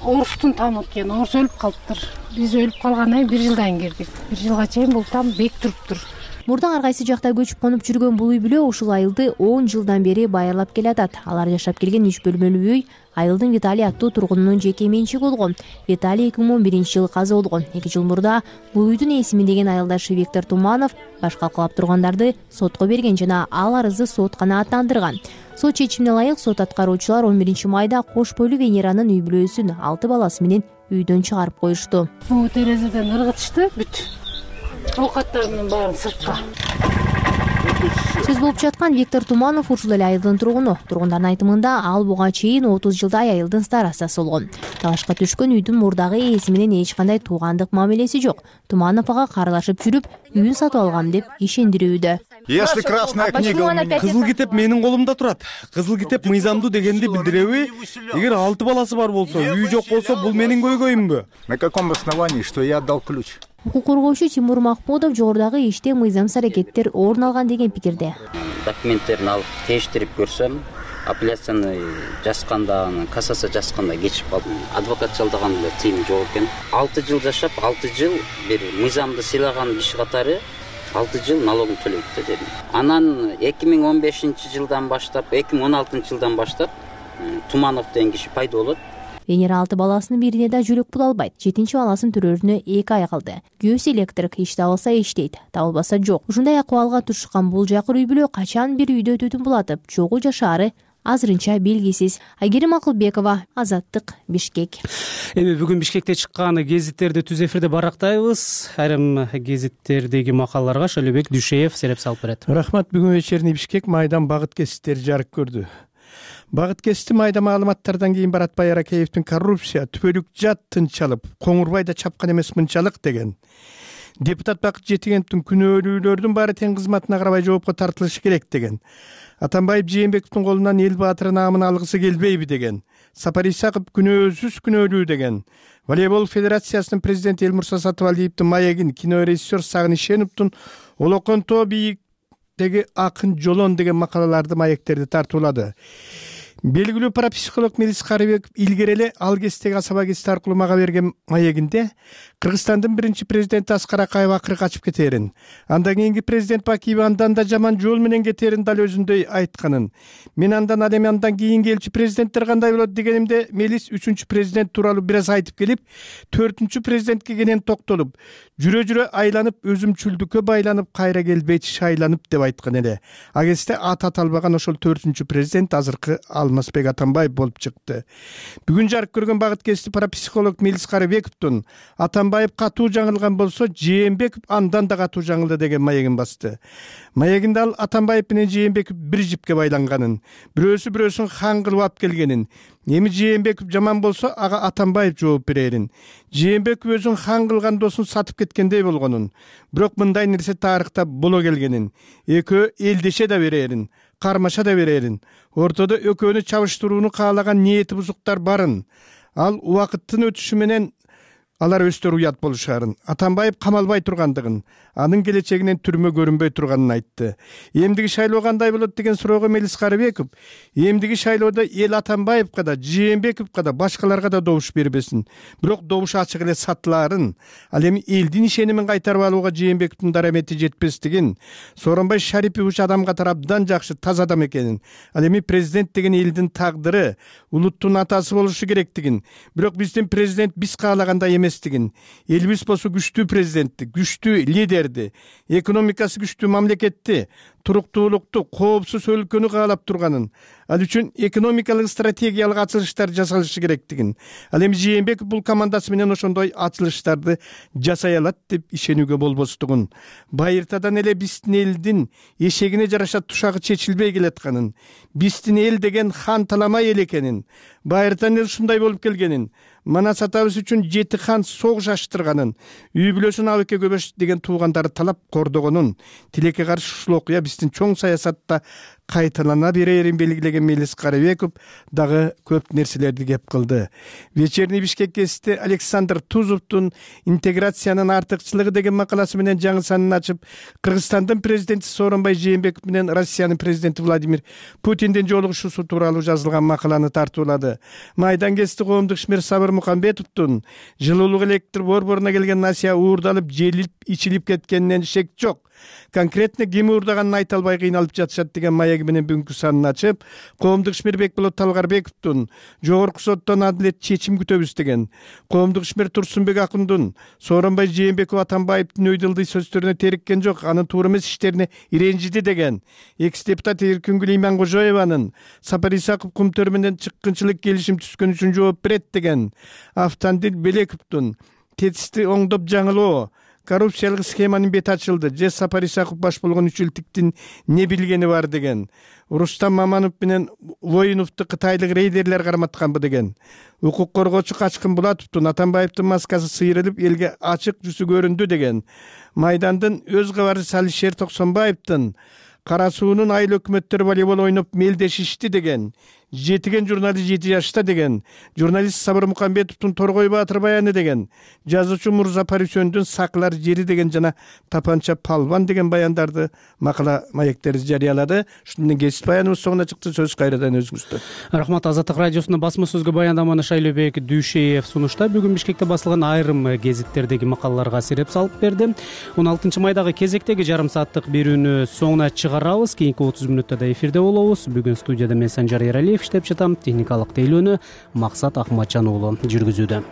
Орустун тамы экен, орус өлүп калыптыр. Биз өлүп калгандан 1 жылдан кирдик. 1 жылга чейин бул там бек туруптур. Мурда ар кайсы жакта көчүп конуп жүргөн бул үй бүлө ушул айылды 10 жылдан бери байырлап келатат. Алар жашап келген 3 бөлмөлүү үй айылдын Виталий аттуу тургунунун жеке менчиги болгон. Виталий 2011-жылы каза болгон. 2 жыл мурда бул үйдүн эсиминдеген айылдашы Виктор Туманов баш калкалап тургандарды сотко берген жана ал арызды сот канааттандырган. Сот чечимине ылайык сот аткаруучулар 11-майда кош бойлуу Венеранын үй бүлөсүн 6 баласы менен үйдөн чыгарып коюшту. Бул терезеден ыргытышты бүт. Оокаттарынын баарын сыртка. Сөз болуп жаткан Виктор Туманов ушул эле айылдын тургуну. Тургундардын айтымында ал буга чейин 30 жылдай айылдын старостасы болгон. Талашка түшкөн үйдүн мурдагы ээси менен эч кандай туугандык мамилеси жок. Туманов ага кааралашып жүрүп, үйүн сатып алгам деп ишендирүүдө. Если красная книга, кызыл китеп менин колумда турат. Кызыл китеп мыйзамдуу дегенди билдиреби? Эгер 6 баласы бар болсо, үй жок болсо, бул менин көйгөйүмбү? На каком основании, что я отдал ключ? Укук коргоочу Тимур Махмудов жогорудагы иште мыйзамсыз аракеттер орун алган деген пикирде. Документтерин алып тештирип көрсөм, апелляцияны жазганда, кассация жазганда кечип калдым. Адвокат жалдаганда тыйым жок экен. 6 жыл жашап, 6 жыл бир мыйзамды сыйлаган киши катары 6 жыл налогун төлөйт да жерин. Анан 2015-жылдан баштап, 2016-жылдан баштап Туманов деген киши пайда болот. Венера 6 баласынын бирине да жөлөк пул албайт. 7-чи баласын төрөрүнө 2 ай калды. Күйөөсү электрик, иш табылса иштейт, табылбаса жок. Ушундай акыбалга турушкан бул жакыр үй бүлө качан бир үйдө түтүн булатып, чогуу жашаары азырынча белгисиз. Айгерим Акылбекова, Азаттык, Бишкек. Эми бүгүн Бишкекте чыккан гезиттерди түз эфирде барактайбыз. Айрым гезиттердеги макалаларга Шөлөбек Дүшеев сереп салып берет. Рахмат. Бүгүн вечерний Бишкек майдан багыт кесиптери жарык көрдү. Багыт кести майда маалыматтардан кийин Баратбай Аракеевдин коррупция түбөлүк жат тынчалып, Коңурбайда чапкан эмес мынчалык деген. Депутат Бакыт Жетигеновдун күнөөлүүлөрдүн баары тең кызматына карабай жоопко тартылышы керек деген. Атамбаев Жээнбековдун колунан эл баатыры наамын алгысы келбейби деген. Сапар Исаков күнөөсүз күнөөлүү деген. Волейбол федерациясынын президенти Элмурса Сатыбалиевдин маегин кинорежиссер Сагын Ишеновдун Олоконто бийиктеги акын жолон деген макалаларды маектерди тартуулады. Белгилүү парапсихолог Мелис Карыбеков илгери эле ал кестеги Асаба кести аркылуу мага берген маегинде Кыргызстандын биринчи президенти Аскар Акаев акыры качып кетерин, андан кийинки президент Бакиев андан да жаман жол менен кетерин дал өзүндөй айтканын, мен андан ал эми андан кийин келчү президенттер кандай болот дегенимде Мелис 3-чү президент тууралуу бир аз айтып келип, 4-чү президентке кенен токтолуп, жүрө айланып, өзүмчүлдүккө байланып, кайра келбейт шайланып деп айткан эле. А кезде ат аталбаган ошол 4-чү президент азыркы Алмазбек Атамбаев болуп чыкты. Бүгүн жарык көргөн багыт кести парапсихолог Мелис Карыбековдун Атамбаев катуу жаңылган болсо, Жээнбеков андан да катуу жаңылды деген маегин басты. Маегинде ал Атамбаев менен Жээнбеков бир жипке байланганын, бирөөсүн хан кылып алып келгенин, эми Жээнбеков жаман болсо, ага Атамбаев жооп берерин, Жээнбеков өзүн хан кылган досун сатып кеткендей болгонун, бирок мындай нерсе тарыхта боло келгенин, экөө элдеше да берерин, кармаша да берерин, ортодо экөөнү чабыштырууну каалаган ниети бузуктар барын, ал убакыттын өтүшү менен алар өстөр уят болушарын, Атамбаев камалбай тургандыгын, анын келечегинен түрмө көрүнбөй турганын айтты. Эмдиги шайлоо кандай болот деген суроого Мелис Карыбеков, эмдиги шайлоодо эл Атамбаевка да, Жээнбековго да, башкаларга да добуш бербесин, бирок добуш ачык эле сатылаарын, ал эми элдин ишенимин кайтарып алууга Жээнбековдун дарамети жетпестигин, Сооронбай Шарипович адам катары абдан жакшы, таза адам экенин, ал эми президент деген элдин тагдыры, улуттун атасы болушу керектигин, бирок биздин президент биз каалагандай эместигин, элибиз болсо күчтүү президентти, күчтүү лидерди, экономикасы күчтүү мамлекетти, туруктуулукту, коопсуз өлкөнү каалап турганын, ал үчүн экономикалык стратегиялык ачылыштар жасалышы керектигин, ал эми Жээнбеков бул командасы менен ошондой ачылыштарды жасай алат деп ишенүүгө болбостугун, байыртадан эле биздин элдин эшегине жараша тушагы чечилбей келатканын, биздин эл деген хан таламай эл экенин, байыртадан эле ушундай болуп келгенин, Манас атабыз үчүн 7 хан согуш ачтырганын, үй бүлөсүн Абыке Көбөш деген туугандары талап кордогонун, тилекке каршы ушул окуя биздин чоң саясатта кайталана берерин белгилеген Мелис Карыбеков дагы көп нерселерди кеп кылды. Вечерний Бишкек гезити Александр Тузовдун интеграциянын артыкчылыгы деген макаласы менен жаңы санын ачып, Кыргызстандын президенти Сооронбай Жээнбеков менен Россиянын президенти Владимир Путиндин жолугушуусу тууралуу жазылган макаланы тартуулады. Майдан гезити коомдук ишмер Сабыр Мукамбетовдун жылуулук электр борборуна келген насыя уурдалып, желип, ичилип кеткенинен шек жок. Конкретно ким уурдаганын айта албай кыйналып жатышат деген маеги менен бүгүнкү санын ачып, коомдук ишмер Бекболот Талгарбековдун жогорку соттон адилет чечим күтөбүз деген, коомдук ишмер Турсунбек Акундун Сооронбай Жээнбеков Атамбаевдин өйдөлдүй сөздөрүнө териккен жок, анын туура эмес иштерине иренжиди деген, экс депутат Эркүнгүл Имангожоеванын Сапар Исаков Кумтөр менен чыккынчылык келишим түзгөн үчүн жооп берет деген, Автандил Белековдун тетисти оңдоп жаңылоо, коррупциялык схеманын бети ачылды, же Сапар Исаков баш болгон үчүлтүктүн не билгени бар деген, Рустам Маманов менен Воиновду кытайлык рейдерлер карматканбы деген, укук коргоочу Качкын Булатовдун Атамбаевдин маскасы сыйрылып элге ачык жүзү көрүндү деген, Майдандын өз кабарчысы Алишер Токсонбаевдин Кара суунун айыл өкмөттөрү волейбол ойноп мелдешишти деген, жетиген журналист 7 жашта деген, журналист Сабыр Мукамбетовдун Торгой Баатыр баяны деген, жазуучу Мурза Парисөндүн Саклар жери деген жана Тапанча Палван деген баяндарды макала маектерди жарыялады. Ушуну менен кесип баяныбыз соңуна чыкты. Сөз кайрадан өзүңүздө. Рахмат. Азаттык радиосунун басма сөзгө баяндаманы Шайлообек Дүйшеев сунушта бүгүн Бишкекте басылган айрым гезиттердеги макалаларга сереп салып берди. 16 майдагы кезектеги жарым сааттык берүүнү соңуна чыгарабыз. Кийинки 30 мүнөттө да эфирде болобуз. Бүгүн студияда мен Санжар Эралиев иштеп жатам. Техникалык тейлөөнү Максат Ахматжан уулу жүргүзүүдө.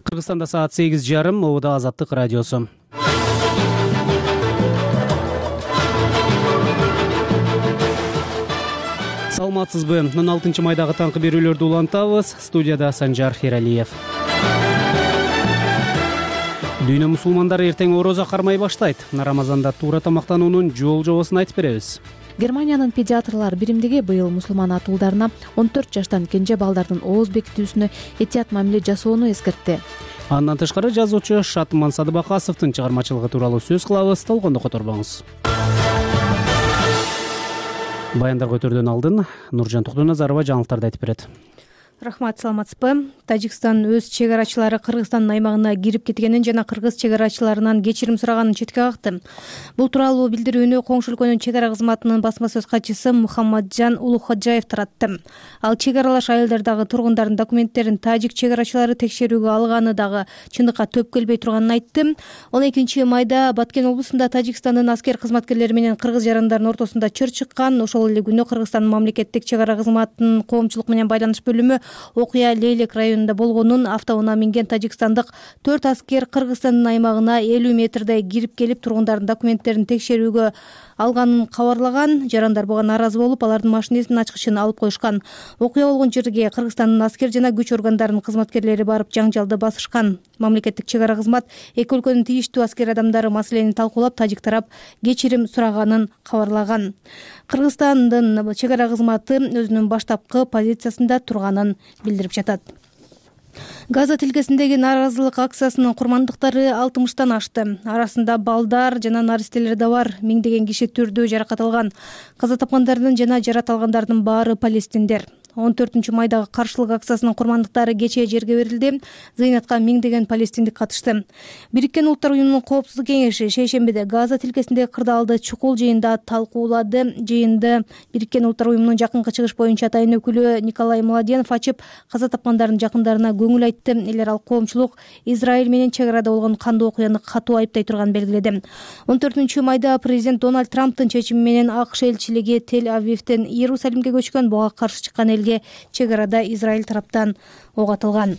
Кыргызстанда саат 8:30, Обуда Азаттык радиосу. Саламатсызбы? 16 майдагы таңкы берүүлөрдү улантабыз. Студияда Санжар Эралиев. Дүйнө мусулмандары эртең орозо кармай баштайт. Рамазанда туура тамактануунун жол-жобосун айтып беребиз. Германиянын педиатрлар биримдиги быйыл мусулман атуулдарына 14 жаштан кенже балдардын ооз бекитүүсүнө этият мамиле жасоону эскертти. Андан тышкары жазуучу Шатман Садыбакасовдун чыгармачылыгы тууралуу сөз кылабыз. Толгондо которбоңуз. Баяндар көтөрүүдөн алдын Нуржан Токтоназарова жаңылыктарды айтып берет. Рахмат, саламатсызбы? Тажикстан өз чек арачылары Кыргызстандын аймагына кирип кеткенин жана кыргыз чек арачыларынан кечирим сураганын четке какты. Бул тууралуу билдирүүнү Коңшу өлкөнүн чек ара кызматынын басма сөз катчысы Мухаммаджан Улуходжаев таратты. Ал чек аралаш айылдардагы тургундардын документтерин тажик чек арачылары текшерүүгө алганы дагы чындыкка төп келбей турганын айтты. 12 майда Баткен облусунда Тажикстандын аскер кызматкерлери менен кыргыз жарандардын ортосунда чыр чыккан. Ошол эле күнү Кыргызстандын мамлекеттик чек ара кызматынын коомчулук менен байланыш бөлүмү окуя Лейлек районунда болгонун, автоунаа минген тажикстандык 4 аскер Кыргызстандын аймагына 50 метрдей кирип келип тургундардын документтерин текшерүүгө алганын кабарлаган. Жарандар буга нааразы болуп, алардын машинесинин ачкычын алып коюшкан. Окуя болгон жерге Кыргызстандын аскер жана күч органдарынын кызматкерлери барып жаңжалды басышкан. Мамлекеттик чек ара кызмат эки өлкөнүн тийиштүү аскер адамдары маселени талкуулап, тажик тарап кечирим сураганын кабарлаган. Кыргызстандын чек ара кызматы өзүнүн баштапкы позициясында турганын билдирип жатат. Газа тилкесиндеги нааразылык акциясынын курмандыктары 60-тан ашты. Арасында балдар жана наристелер да бар. Миңдеген киши түрдүү жаракат алган. Каза тапкандардын жана жарат алгандардын баары палестиндер. 14 майдагы каршылык акциясынын курмандыктары кечээ жерге берилди. Зыйнатка миңдеген палестиндик катышты. Бириккен Улуттар уюмунун коопсуздук кеңеши шейшембиде Газа тилкесиндеги кырдаалды чукул жыйында талкуулады. Жыйынды Бириккен Улуттар уюмунун жакынкы чыгыш боюнча атайын өкүлү Николай Младенов ачып, каза тапкандардын жакындарына көңүл айтты. Элер ал коомчулук Израиль менен чек арада болгон кандуу окуяны катуу айыптай турганын белгиледи. 14 майда президент Дональд Трамптын чечими менен АКШ элчилиги Тель-Авивден Иерусалимге көчкөн. Буга каршы чыккан элге чек арада Израиль тараптан ок атылган.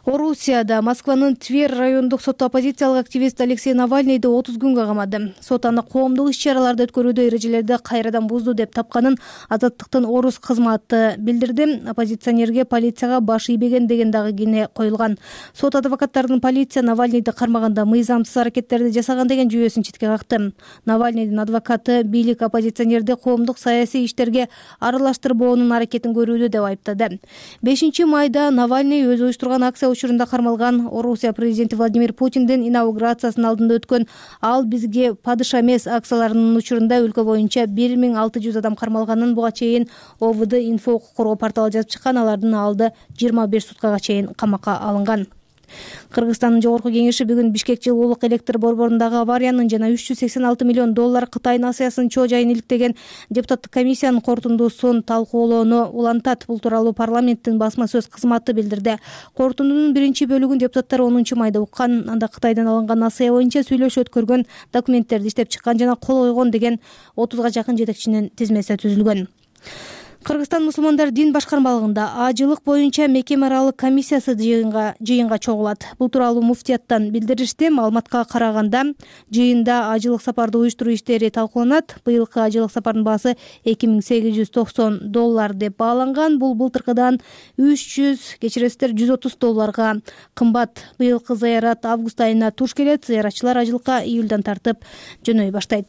Орусияда Москванын Тверь райондук соту оппозициялык активист Алексей Навальныйды 30 күнгө камады. Сот аны коомдук иш-чараларды өткөрүүдө эрежелерди кайрадан бузду деп тапканын Азаттыктын орус кызматы билдирди. Оппозиционерге полицияга баш ийбеген деген дагы кийне коюлган. Сот адвокаттардын полиция Навальныйды кармаганда мыйзамсыз аракеттерди жасаган деген жүйөсүн четке какты. Навальныйдын адвокаты бийлик оппозиционерди коомдук саясий иштерге аралаштырбоонун аракетин көрүүдө деп айыптады. 5 майда Навальный өзү уюштурган акция учурунда кармалган. Орусия президенти Владимир Путиндин инаугурациясынын алдында өткөн "Ал бизге падыша эмес" акцияларынын учурунда өлкө боюнча 1600 адам кармалганын буга чейин ОВД инфо укук коргоо порталы жазып чыккан. Алардын алды 25 суткага чейин камакка алынган. Кыргызстандын жогорку кеңеши бүгүн Бишкек жылуулук электр борборундагы авариянын жана 386 миллион доллар Кытай насыясынын чоо жайын иликтеген депутаттык комиссиянын корутундусун талкуулоону улантат. Бул тууралуу парламенттин басма сөз кызматы билдирди. Корутундунун биринчи бөлүгүн депутаттар 10 майда уккан. Анда Кытайдан алынган насыя боюнча сүйлөшүп өткөргөн, документтерди иштеп чыккан жана кол койгон деген 30га жакын жетекчинин тизмеси түзүлгөн. Кыргызстан мусулмандар дин башкармалыгында ажылык боюнча мекеме аралык комиссиясы жыйынга чогулат. Бул тууралуу муфтияттан билдиришти. Маалыматка караганда, жыйында ажылык сапарды уюштуруу иштери талкууланат. Быйылкы ажылык сапардын баасы $2890 деп бааланган. Бул былтыркыдан 130 долларга кымбат. Быйылкы зыярат август айына туш келет. Зыяратчылар ажылыкка июлдан тартып жөнөй баштайт.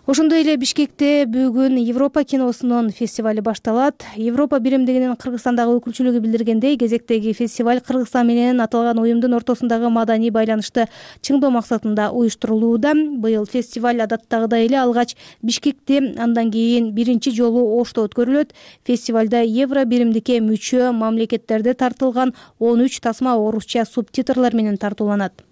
Ошондой эле Бишкекте бүгүн Европа киносунун фестиваль башталат. Европа биримдигинин Кыргызстандагы өкүлчүлүгү билдиргендей, кезектеги фестиваль Кыргызстан менен аталган уюмдун ортосундагы маданий байланышты чыңдоо максатында уюштурулууда. Быйыл фестиваль адаттагыдай эле алгач Бишкекте, андан кийин биринчи жолу Ошто өткөрүлөт. Фестивалда евро биримдикке мүчө мамлекеттерде тартылган 13 тасма орусча субтитрлар менен тартууланат.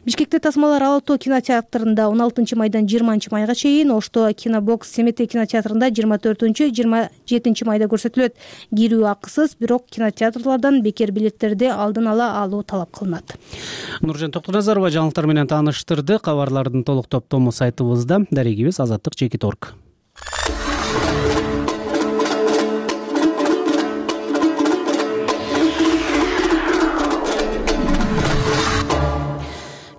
Бишкекте тасмалар Ала-Тоо кинотеатрында 16 майдан 20 майга чейин, Ошто Кинобокс Семетей кинотеатрында 24-27 майда көрсөтүлөт. Кирүү акысыз, бирок кинотеатрлардан бекер билеттерди алдын ала алуу талап кылынат. Нуржан Токтоназарова жаңылыктар менен тааныштырды. Кабарлардын толук топтому сайтыбызда, дарегибиз azаттык.org.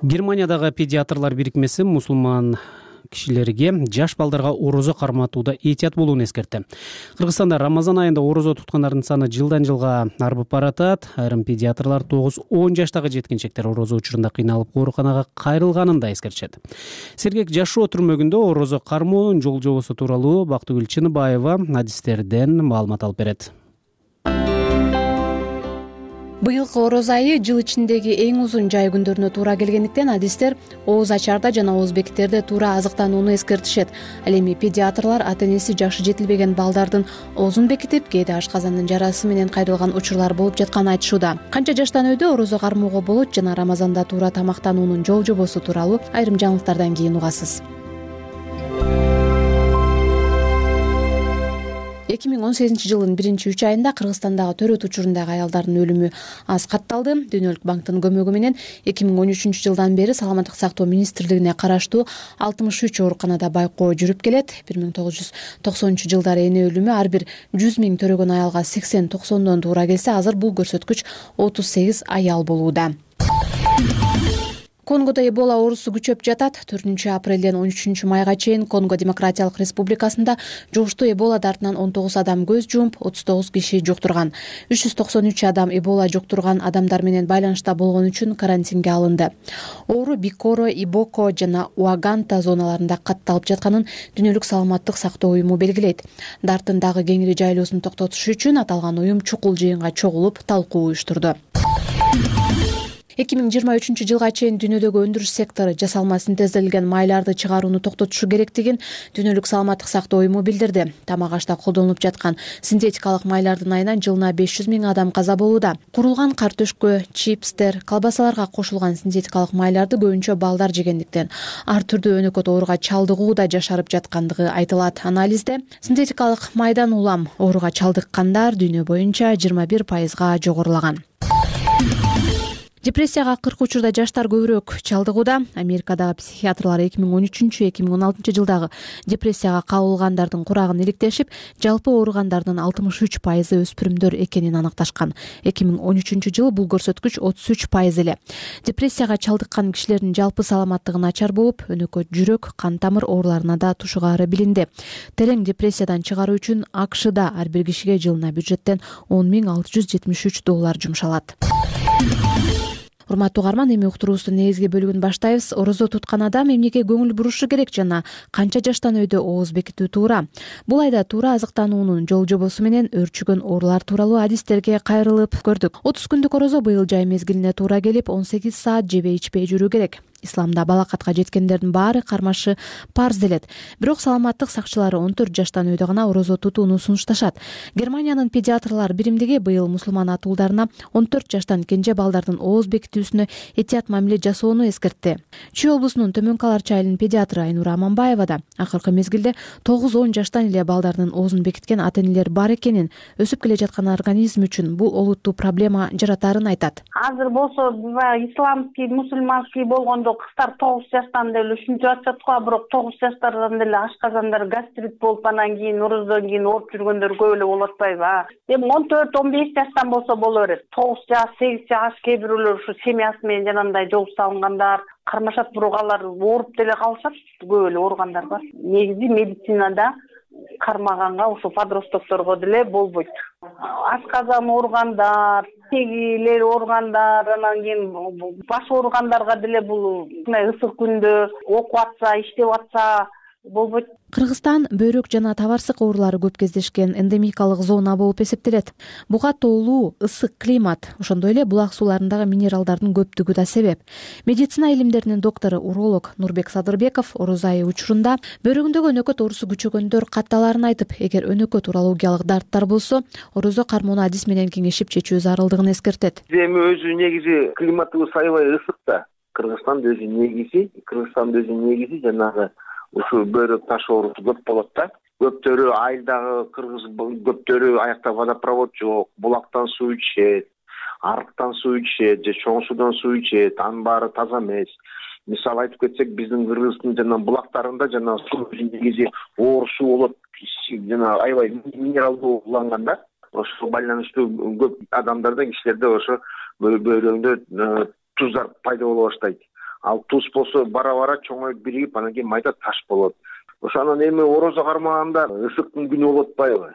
Германиядагы педиатрлар бирикмеси мусулман кишилерге жаш балдарга орозо карматууда этият болууну эскертти. Кыргызстанда Рамазан айында орозо туткандардын саны жылдан жылга арбып баратат. Айрым педиатрлар 9-10 жаштагы жеткинчектер орозо учурунда кыйналып ооруканага кайрылганын да эскертишет. Сергек жашоо түрмөгүндө орозо кармоонун жол жобосу тууралуу Бактыгүл Чыныбаева адистерден маалымат алып берет. Быйылкы орозо айы жыл ичиндеги эң узун жай күндөрүнө туура келгендиктен адистер ооз ачарда жана ооз бекиттерде туура азыктанууну эскертишет. Ал эми педиатрлар ата-энеси жашы жетилбеген балдардын оозун бекитип, кээде ашказандын жарасы менен кайрылган учурлар болуп жатканын айтышууда. Канча жаштан өйдө орозо кармоого болот жана Рамазанда туура тамактануунун жол жобосу тууралуу айрым жаңылыктардан кийин угасыз. 2018 жылдын 1-3 айында Кыргызстандагы төрөт учурундагы аялдардын өлүмү аз катталды. Дүйнөлүк банктын көмөгү менен 2013 жылдан бери Саламаттык сактоо министрлигине караштуу 63 ооруканада байкоо жүрүп келет. 1990 жылдары эне өлүмү ар бир 100 000 төрөгөн аялга 80-90дон туура келсе, азыр бул көрсөткүч 38 аял болууда. Конгодо Эбола оорусу күчөп жатат. 4 апрелден 13 майга чейин Конго Демократиялык Республикасында жугуштуу Эбола дартынан 19 адам көз жумуп, 39 киши жуктурган. 393 адам Эбола жуктурган адамдар менен байланышта болгон үчүн карантинге алынды. Оору Бикоро, Ибоко жана Уаганта зоналарында катталып жатканын Дүйнөлүк саламаттык сактоо уюму белгилейт. Дарттын дагы кеңири жайылуусун токтотуш үчүн аталган уюм чукул жыйынга чогулуп, талкуу уюштурду. 2023 жылга чейин дүйнөдөгү өндүрүш сектору жасалма синтезделген майларды чыгарууну токтотушу керектигин Дүйнөлүк саламаттык сактоо уюму билдирди. Тамак ашта колдонулуп жаткан синтетикалык майлардын айынан жылына 500 000 адам каза болууда. Курулган картөшкө, чипстер, колбасаларга кошулган синтетикалык майларды көбүнчө балдар жегендиктен ар түрдүү өнөкөт ооруга чалдыгууда жашарып жаткандыгы айтылат. Анализде синтетикалык майдан улам ооруга чалдыккандар дүйнө боюнча 21%га жогорулаган. Депрессияга 40 учурда жаштар көбүрөөк чалдыгууда. Америкадагы психиатрлар 2013-2016 жылдагы депрессияга кабылгандардын курагын иликтешип, жалпы ооругандардын 63% өспүрүмдөр экенин аныкташкан. 2013 жылы бул көрсөткүч 33% эле. Депрессияга чалдыккан кишилердин жалпы саламаттыгы начар болуп, өнөкөт жүрөк, кан тамыр ооруларына да тушугаары билинди. Терең депрессиядан чыгаруу үчүн АКШда ар бир кишиге жылына бюджеттен $10,673 жумшалат. Урматтуу угарман, эми уктуруубуздун негизги бөлүгүн баштайбыз. Орозо туткан адам эмнеге көңүл бурушу керек жана канча жаштан өйдө ооз бекитүү туура? Бул айда туура азыктануунун жол жобосу менен өрчүгөн оорулар тууралуу адистерге кайрылып көрдүк. 30 күндүк орозо быйыл жай мезгилине туура келип, 18 саат жебей ичпей жүрүү керек. Исламда балакатка жеткендердин баары кармашы парз делет. Бирок саламаттык сакчылары 14 жаштан өйдө гана орозо тутууну сунушташат. Германиянын педиатрлар биримдиги быйыл мусулман атуулдарына 14 жаштан кенже балдардын ооз бекитүүсүнө этият мамиле жасоону эскертти. Чүй облусунун Төмөнкү Аларчы айылынын педиатры Айнура Аманбаева да акыркы мезгилде 9-10 жаштан эле балдардын оозун бекиткен ата-энелер бар экенин, өсүп келе жаткан организм үчүн бул олуттуу проблема жаратаарын айтат. Азыр болсо исламский, мусульманский болгондо кыздар 9 жаштан деле ушинтип атышат го, бирок 9 жаштардан деле ашказандар гастрит болуп, анан кийин орозодон кийин ооруп жүргөндөр көп эле болуп атпайбы? Эми 14-15 жаштан болсо боло берет. 9 жаш, 8 жаш, кээ бирөөлөр ушу семьясы менен жанагындай жолуп салынгандар кармашат, бирок алар ооруп деле калышат. Көп эле ооругандар бар. Негизи медицинада кармаганга ушу подростокторго деле болбойт. Ашказан ооругандар, тегилер ооругандар, анан кийин баш ооругандарга деле бул ысык күндө окуп атса, иштеп атса, болбойт. Кыргызстан бөйрөк жана табарсык оорулары көп кездешкен эндемикалык зона болуп эсептелет. Буга тоолуу, ысык климат, ошондой эле булак сууларындагы минералдардын көптүгү да себеп. Медицина илимдеринин доктору уролог Нурбек Садырбеков орозо айы учурунда бөйрөгүндөгү өнөкөт оорусу күчөгөндөр катталаарын айтып, эгер өнөкөт урологиялык дарттар болсо, орозо кармоону адис менен кеңешип чечүү зарылдыгын эскертет. Эми өзү негизи климатыбыз аябай ысык да. Кыргызстандын өзү негизи жанагы ушу бөйрөк таш оорусу көп болот да. Көптөрү айылдагы кыргыз көптөрү аякта водопровод жок, булактан суу ичет, арыктан суу ичет же чоң суудан суу ичет, анын баары таза эмес. Мисалы айтып кетсек, биздин Кыргыздын жана булактарында жана суу негизи оор суу болот, жана аябай минералдуу уланган да. Ошого байланыштуу көп адамдарда, кишилерде ошо бөйрөгүндө туздар пайда боло баштайт. Ал туз болсо бара чоңоюп биригип, анан кийин майда таш болот. Ошонун эми орозо кармаганда ысыктын күнү болуп атпайбы?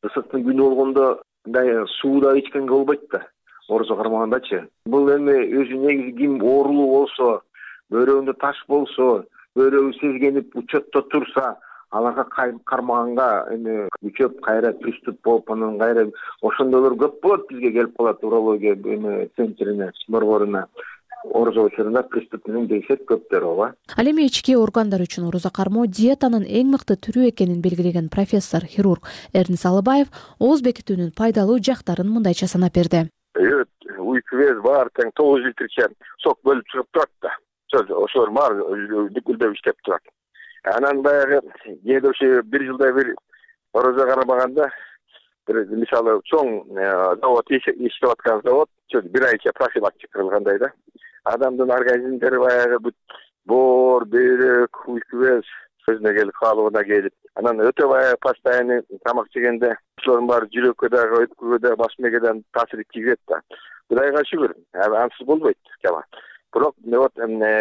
Ысыктын күнү болгондо мындай суу да ичкенге болбойт да. Орозо кармагандачы. Бул эми өзү негизи ким оорулуу болсо, бөйрөгүндө таш болсо, бөйрөгү сезгенип учетто турса, аларга кармаганга эми күчөп кайра приступ болуп, анан кайра ошондойлор көп болот, бизге келип калат урология эми центрине, борборуна. Орозо учурунда приступ менен дейсет көптөр ооба. Ал эми ички органдар үчүн орозо кармоо диетанын эң мыкты түрү экенин белгилеген профессор хирург Эрнис Алыбаев ооз бекитүүнүн пайдалуу жактарын мындайча санап берди. Уйку без бар тең 9 литрче сок бөлүп чыгып турат да. Ошолор баары дүкүлдөп иштеп турат. Анан баягы кээде ошо бир жылда бир орозо кармаганда, мисалы чоң завод иштеп аткан завод бир айча профилактика кылгандай да. Адамдын организмдери баягы бүт боор, бөйрөк, уйку без өзүнө келип, каалыбына келип, анан өтө баягы постоянный тамак жегенде ошолордун баары жүрөккө дагы, өткөгө дагы, баш мээге дагы таасир тийгизет да. Кудайга шүгүр, ансыз болбойт жама. Бирок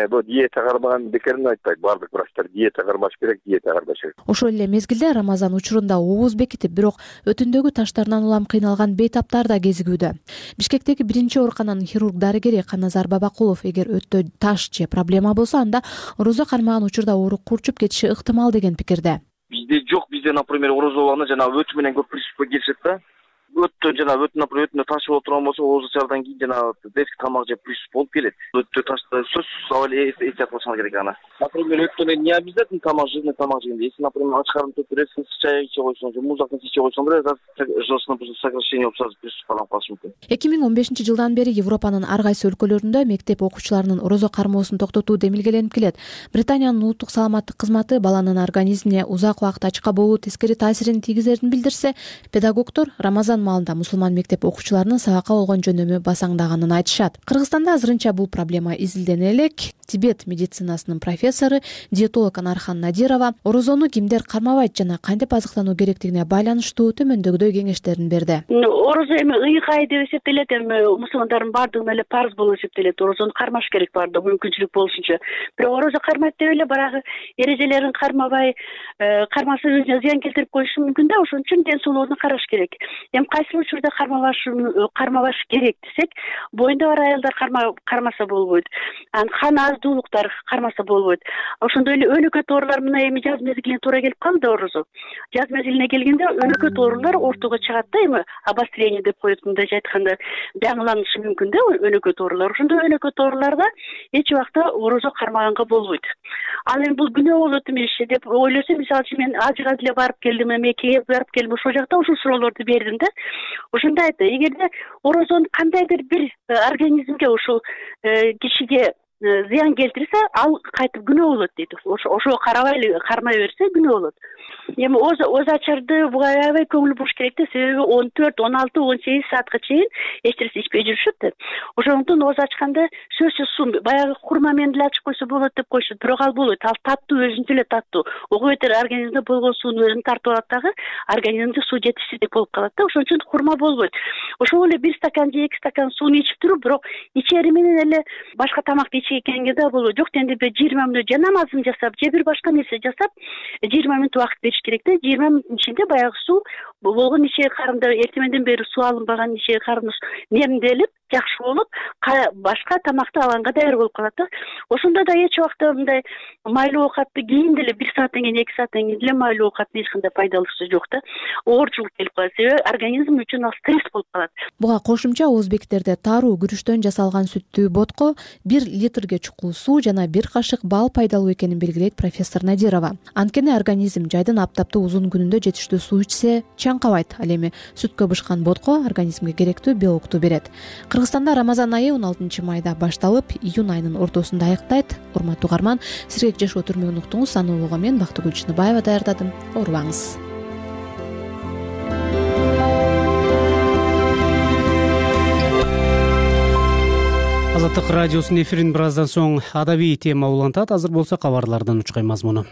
бул диета кармаган бекерин айтпайт. Баардык врачтар диета кармаш керек, диета кармаш керек. Ошол эле мезгилде Рамазан учурунда ооз бекитип, бирок өтүндөгү таштарынан улам кыйналган бейтаптар да кезигүүдө. Бишкектеги биринчи оорукананын хирург-дарыгери Каназар Бабакулов эгер өттө таш же проблема болсо, анда орозо кармаган учурда оору курчуп кетиши ыктымал деген пикирде. Бизде жок, бизде, например, орозо болгондо жана өтү менен көп приступка келишет да. Өттө таш болуп турган болсо, оозучардан кийин жана детский тамак жеп приступ болуп келет. Өттө ташты сөзсүз эстеп калышыңар керек аны. Например, өттөн не обязательно тамак жегенде, если, например, ач карын төктүрөсүң, чай иче койсоң, же муздактан иче койсоң, желчный сокращение болуп сразу приступ калып калышы мүмкүн. 2015 жылдан бери Европанын ар кайсы өлкөлөрүндө мектеп окуучуларынын орозо кармоосун токтотуу демилгеленип келет. Британиянын улуттук саламаттык кызматы баланын организмине узак убакыт ачка болуу тескери таасирин тийгизерин билдирсе, педагогдор Рамазан маалында мусулман мектеп окуучуларынын сабакка болгон жөнөмү басаңдаганын айтышат. Кыргызстанда азырынча бул проблема изилдене элек. Тибет медицинасынын профессору, диетолог Анархан Надирова орозону кимдер кармабайт жана кантип азыктануу керектигине байланыштуу төмөндөгүдөй кеңештерин берди. Орозо эми ыйкай деп эсептелет, эми мусулмандардын баардыгына эле парыз болуп эсептелет. Орозону кармаш керек баардыгы мүмкүнчүлүк болушунча. Бирок орозо кармайт деп эле барагы эрежелерин кармабай, кармаса өзүнө зыян келтирип коюшу мүмкүн да. Ошон үчүн ден соолугуна караш керек. Эми кайсы учурда кармабаш керек десек, боюнда бар аялдар кармаса болбойт. Қан аздуулуктар кармаса болбойт. Ошондой эле өнөкөт оорулар мына эми жаз мезгилине туура келип калды орозо. Жаз мезгилине келгенде өнөкөт оорулар ортого чыгат да, эми обострение деп коет, мындайча айтканда жаңыланышы мүмкүн да өнөкөт оорулар. Ошондой өнөкөт ооруларда эч убакта орозо кармаганга болбойт. Ал эми бул күнөө болот эмес деп ойлосо, мисалы үчүн мен ажыга деле барып келдим, Меккеге барып келдим, ошол жакта ушул суроолорду бердим да. Ошондо айтты, эгерде орозонун кандайдыр бир организмге ушул кишиге зыян келтирсе, ал кайтып күнөө болот дейт. Ошого кармай берсе күнөө болот. Эми оз ачарды буга аябай көңүл буруш керек да, себеби 14, 16, 18 саатка чейин эч нерсе ичпей жүрүшөт да. Ошондон оз ачканда сөзсүз суу, баягы хурма менен деле ачып койсо болот деп коюшат, бирок ал болбойт. Ал таттуу, өзүнчө эле таттуу. Ого бетер организмде болгон сууну өзүн тартып алат дагы, организмде суу жетишсиздик болуп калат да. Ошон үчүн хурма болбойт. Ошол эле 1 стакан же 2 стакан сууну ичип туруп, бирок ичери менен эле башка тамакты ичкенге да болот. Жок дегенде 20 мүнөт же намазын жасап, же бир башка нерсе жасап, 20 мүнөт убакыт бериш керек да. 20 мүнөттүн ичинде баягы суу болгон ичек карында эртеменден бери суу алынбаган ичек карны немделип, жакшы болуп башка тамакты алганга даяр болуп калат да. Ошондо да эч убакта мындай майлуу оокатты кийин деле 1 сааттан кийин 2 сааттан кийин деле майлуу оокаттын эч кандай пайдалуусу жок да. Оорчулук келип калат. Себеби организм үчүн ал стресс болуп калат. Буга кошумча өзбектерде таруу күрүчтөн жасалган сүттүү ботко 1 литрге чукул суу жана 1 кашык бал пайдалуу экенин белгилейт профессор Надирова. Анткени организм жайдын аптаптуу узун күнүндө жетиштүү суу ичсе чаңкабайт. Ал эми сүткө бышкан ботко организмге керектүү белокту берет. Кыргызстанда Рамазан айы 16 майда башталып, июнь айынын ортосунда аягдайт. Урматтуу угарман, сирек жашоо түрмөгүн уктуңуз. Аны улууга мен Бактыгүл Чыныбаева даярдадым. Оорубаңыз. Азаттык радиосунун эфирин бир аздан соң адабий тема улантат. Азыр болсо кабарлардын учкай мазмуну.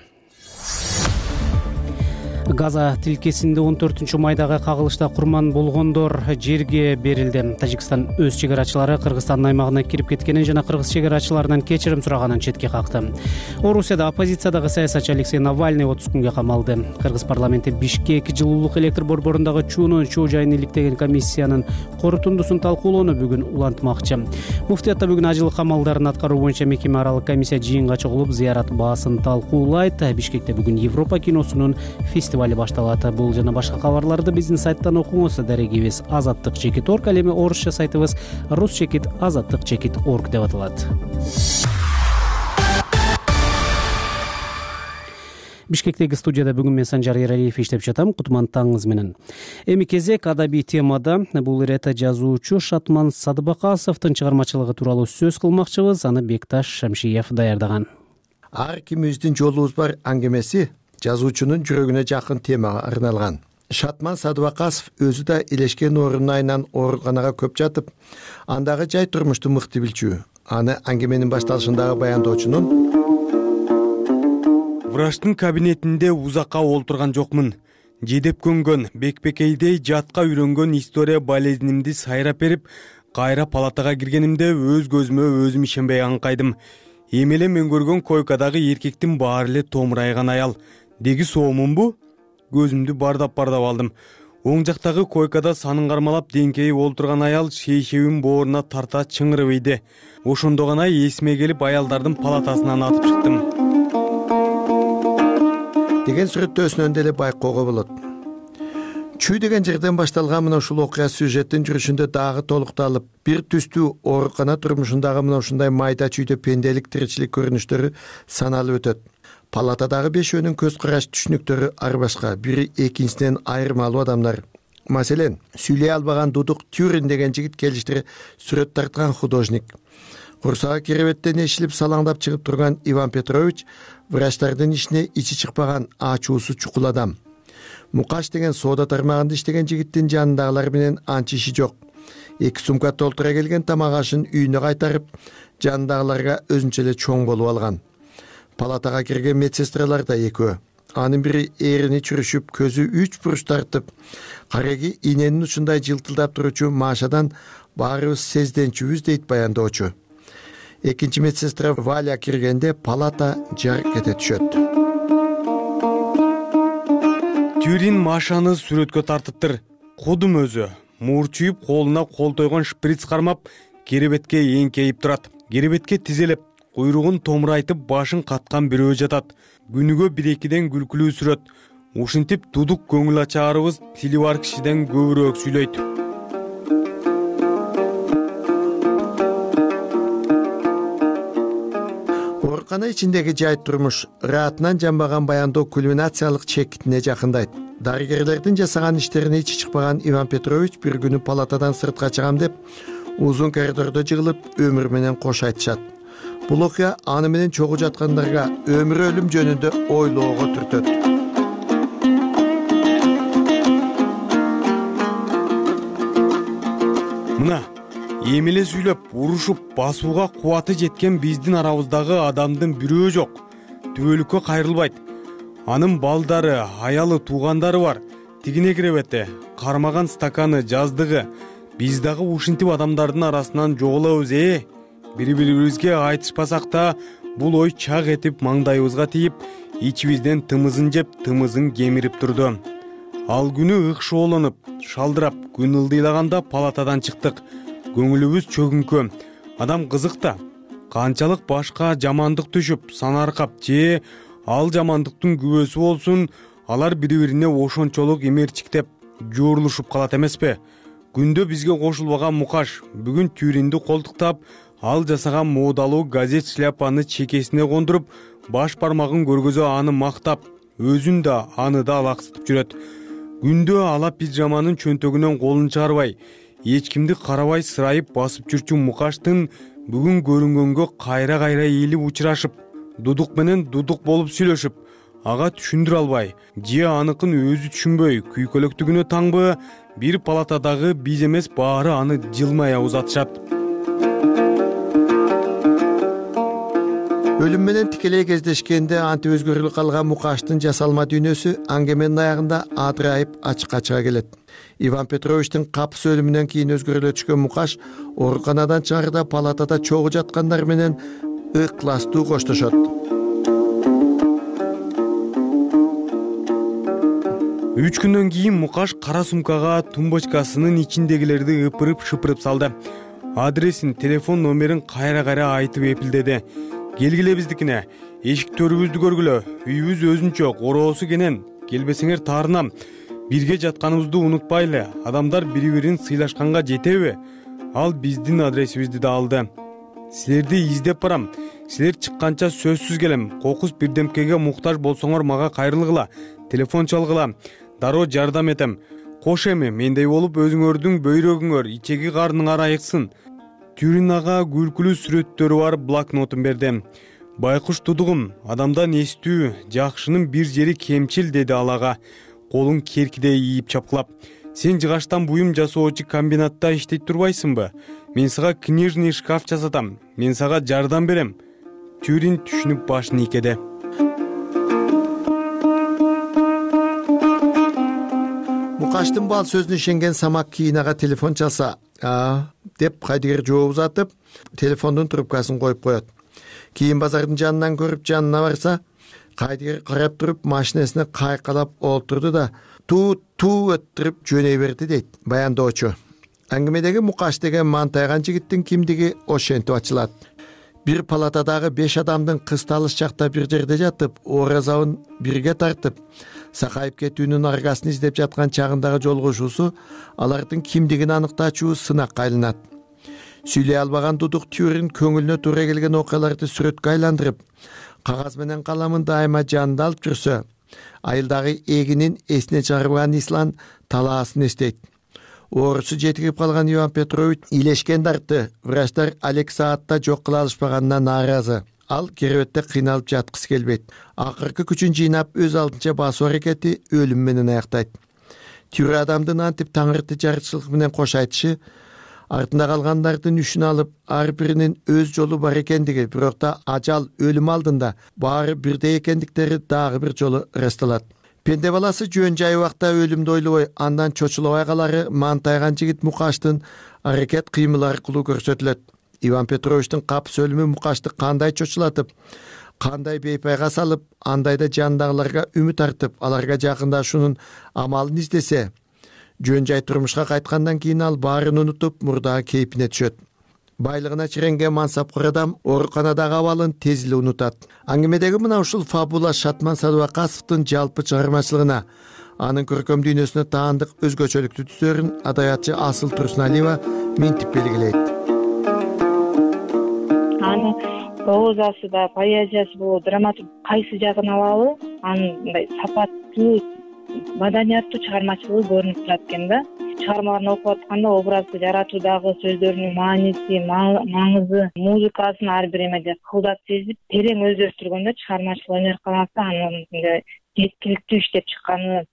Газа тилкесинде 14 майдагы кагылышта курман болгондор жерге берилди. Тажикстан өз чегарачылары Кыргызстандын аймагына кирип кеткенин жана кыргыз чегарачыларынан кечирим сураганын четке какты. Орусияда оппозициядагы саясатчы Алексей Навальный 30 күнгө камалды. Кыргыз парламенти Бишкек жылуулук электр борборундагы чуунун чоо жайын иликтеген комиссиянын корутундусун талкуулоону бүгүн улантмакчы. Муфтиятта бүгүн ажыл камалдарын аткаруу боюнча мекеме аралык комиссия жыйынга чогулуп, зыярат баасын талкуулайт. Бишкекте бүгүн Европа киносунун фестивали башталат. Бул жана башка кабарларды биздин сайттан окуңуз. Дарегибиз azattik.org, ал эми орусча сайтыбыз rus-azattik.org деп аталат. Бишкектеги студияда бүгүн мен Санжар Эралиев иштеп жатам. Кутмандтарыңыз менен. Эми кезек адабий темада. Бул ирет жазуучу Шатман Садыбакасовдун чыгармачылыгы тууралуу сөз кылмакчыбыз. Аны Бекташ Шамшиев даярдаган. Ар кимибиздин жолубуз бар аңгемеси жазуучунун жүрөгүнө жакын темага арналган. Шатман Садыбакасов өзү да илешкен оорунун айынан ооруканага көп жатып, андагы жай турмушту мыкты билчү. Аны аңгеменин башталышындагы баяндоочунун врачтын кабинетинде узакка олтурган жокмун. Жедеп көнгөн, бекбекейдей жатка үйрөнгөн история болезнимди сайрап берип, кайра палатага киргенимде өз көзүмө өзүм ишенбей аңкайдым. Эми эле мен көргөн койкадагы эркектин баары эле томурайган аял. Деги соомунбу? Көзүмдү бардап алдым. Оң жактагы койкада санын кармалап деңкейип олтурган аял шейшебин бооруна тарта чыңырып ийди. Ошондо гана эсиме келип аялдардын палатасынан атып чыктым. Деген сүрөттөөсүнөн деле байкоого болот. Чүй деген жерден башталган мына ушул окуя сюжеттин жүрүшүндө дагы толукталып, бир түстүү оорукана турмушундагы мына ушундай майда чүйдө пенделик тиричилик көрүнүштөрү саналып өтөт. Палатадагы бешөөнүн көз караш түшүнүктөрү ар башка, бири экинчисинен айырмалуу адамдар. Маселен, сүйлөй албаган Дудук Тюрин деген жигит келиштире сүрөт тарткан художник. Курсагы керебеттен эшилип салаңдап чыгып турган Иван Петрович врачтардын ишине ичи чыкпаган ачуусу чукул адам. Мукаш деген соода тармагында иштеген жигиттин жанындагылар менен анча иши жок. 2 сумка толтура келген тамак ашын үйүнө кайтарып, жанындагыларга өзүнчө эле чоң болуп алган. Палатага кирген медсестралар да экөө. Анын бири эрини чүрүшүп, көзү 3 буруш тартып, кареги иненин учундай жылтылдап туручу Машадан баарыбыз сезденчүбүз дейт баяндоочу. Экинчи медсестра Валя киргенде палата жарк кете түшөт. Тюрин Машаны сүрөткө тартыптыр. Кудум өзү мурчуюп, колуна кол тойгон шприц кармап, керебетке эңкейип турат. Керебетке тизелеп, куйругун томурайтып, башын каткан бирөө жатат. Күнүгө 1-2ден күлкүлүү сүрөт. Ушинтип Дудук көңүл ачаарыбыз тили бар кишиден көбүрөөк сүйлөйт. Оорукана ичиндеги жай турмуш раатынан жанбаган баяндоо кульминациялык чекитине жакындайт. Дарыгерлердин жасаган иштерине ичи чыкпаган Иван Петрович бир күнү палатадан сыртка чыгам деп, узун коридордо жыгылып, өмүр менен кош айтышат. Бул окуя аны менен чогуу жаткандарга өмүр өлүм жөнүндө ойлоого түртөт. Мына эми эле сүйлөп, урушуп, басууга кубаты жеткен биздин арабыздагы адамдын бирөө жок. Түбөлүккө кайрылбайт. Анын балдары, аялы, туугандары бар. Тигине керебети, кармаган стаканы, жаздыгы. Биз дагы ушинтип адамдардын арасынан жоголобуз. Бири-бирибизге айтышпасак да, бул ой чак этип маңдайыбызга тийип, ичибизден тымызын жеп, тымызын кемирип турду. Ал күнү ыкшоолонуп, шалдырап, күн ылдыйлаганда палатадан чыктык. көңүлүбүз чөгүңкө. Адам кызык да. Канчалык башка жамандык түшүп, санаркап же ал жамандыктын күбөсү болсун, алар бири-бирине ошончолук эмерчиктеп жуурулушуп калат эмеспи? Күндө бизге кошулбаган Мукаш бүгүн Тюринди колтуктап, ал жасаган моодалуу газет шляпаны чекесине кондуруп, баш бармагын көргөзө аны мактап, өзүн да аны да алаксытып жүрөт. Күндө ала пижаманын чөнтөгүнөн колун чыгарбай, эч кимди карабай сырайып басып жүрчү Мукаштын бүгүн көрүнгөнгө кайра-кайра ээлип учурашып, дудук менен дудук болуп сүйлөшүп, ага түшүндүрө албай, же аныкын өзү түшүнбөй күйкөлөктүгүнө таңбы, бир палатадагы биз эмес баары аны жылмая узатышат. Өлүм менен тикелей кездешкенде антип өзгөрүлүп калган Мукаштын жасалма дүйнөсү аңгеменин аягында адырайып ачыкка чыга келет. Иван Петровичтин капыс өлүмүнөн кийин өзгөрүлө түшкөн Мукаш ооруканадан чыгарда палатада чогуу жаткандар менен ыктыластуу коштошот. 3 күндөн кийин Мукаш кара сумкага тумбочкасынын ичиндегилерди ыпырып-шыпырып салды. Адресин, телефон номерин кайра-кайра айтып эпилдеди. Келгиле биздикине, эшиктөрүбүздү көргүлө, үйүбүз өзүнчө, короосу кенен, келбесеңер таарынам. Бирге жатканыбызды унутпайлы, адамдар бири-бирин сыйлашканга жетеби? Ал биздин адресибизди да алды. Силерди издеп барам. Силер чыкканча сөзсүз келем. Кокус бирдемкеге муктаж болсоңор мага кайрылгыла, телефон чалгыла, дароо жардам этем. Кош эми мендей болуп өзүңөрдүн бөйрөгүңөр, ичеги карныңар айыксын. Тюрин ага күлкүлүү сүрөттөрү бар блокнотун берди. Байкуш тудугум, адамдан эстүү, жакшынын бир жери кемчил, деди ал ага, колун керкидей ийип чапкылап. Сен жыгаштан буюм жасоочу комбинатта иштейт турбайсыңбы? Мен сага книжный шкаф жасатам. Мен сага жардам берем. Тюрин түшүнүп башын ийкеди. Мукаштын бал сөзүнө ишенген Самак кийин ага телефон чалса, деп кайдыгер жооп узатып, телефондун трубкасын коюп коет. Кийин базардын жанынан көрүп жанына барса, кайдыгер карап туруп машинесине кайкалап олтурду да туу өттүрүп жөнөй берди, дейт баяндоочу. Аңгемедеги Мукаш деген мантайган жигиттин кимдиги ошентип ачылат. Бир палатадагы 5 адамдын кысталыш чакта бир жерде жатып, оразабын бирге тартып, сакайып кетүүнүн аргасын издеп жаткан чагындагы жолугушуусу алардын кимдигин аныктаачу сынакка айланат. Сүйлөй албаган дудук Тюрин көңүлүнө туура келген окуяларды сүрөткө айландырып, кагаз менен каламын дайыма жанында алып жүрсө, айылдагы эгинин эсине чыгарбаган Ислан талаасын эстейт. Оорусу жетирип калган Иван Петрович илешкен дартты, врачтар Алек саатта жок кыла алышпаганына нааразы. Ал керебетте кыйналып жаткысы келбейт. Акыркы күчүн жыйнап өз алдынча басуу аракети өлүм менен аяктайт. Тюрин адамдын антип таңырты жарычылык менен кош айтышы, артында калгандардын үшүн алып, ар биринин өз жолу бар экендиги, бирок да ажал өлүм алдында баары бирдей экендиктери дагы бир жолу ырасталат. Пенде баласы жөн жай убакта өлүмдү ойлобой, андан чочулабай калары мантайган жигит Мукаштын аракет кыймыл аркылуу көрсөтүлөт. Иван Петровичтин капыс өлүмү Мукашты кандай чочулатып, кандай бейпайга салып, андай да жандагыларга үмүт артып, аларга жакындашуунун амалын издесе, жөн жай турмушка кайткандан кийин ал баарын унутуп, мурдагы кейпине түшөт. Байлыгына чиренген мансапкор адам ооруканадагы абалын тез эле унутат. Аңгемедеги мына ушул фабула Шатман Садубакасовдун жалпы чыгармачылыгына, анын көркөм дүйнөсүнө таандык өзгөчөлүктүү түстөрүн адабиятчы Асыл Турсуналиева минтип белгилейт. Анын прозасы да, поэзиясы болобу, драматург кайсы жагын алалы, анын мындай сапаттуу, маданияттуу чыгармачылыгы көрүнүп турат экен да. Чыгармаларын окуп атканда образды жаратуудагы сөздөрүнүн мааниси, маңызы, музыкасын ар бир эмеде кылдат сезип, терең өздөштүргөндө чыгармачылык өнөр каласы анын жеткиликтүү иштеп чыкканы,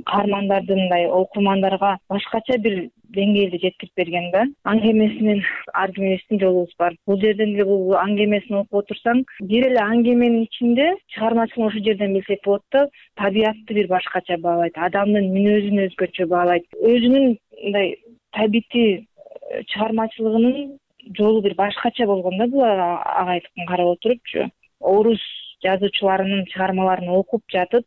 каармандардын мындай окурмандарга башкача бир деңгээлде жеткирип берген да. Аңгемесинен ар кимибиздин жолубуз бар. Бул жерден эле бул аңгемесин окуп отурсаң, бир эле аңгеменин ичинде чыгармачылык ошол жерден билсек болот да, табиятты бир башкача баалайт, адамдын мүнөзүн өзгөчө баалайт. Өзүнүн мындай табити чыгармачылыгынын жолу бир башкача болгон да, бул агайлыктан карап отурупчу. Орус жазуучуларынын чыгармаларын окуп жатып,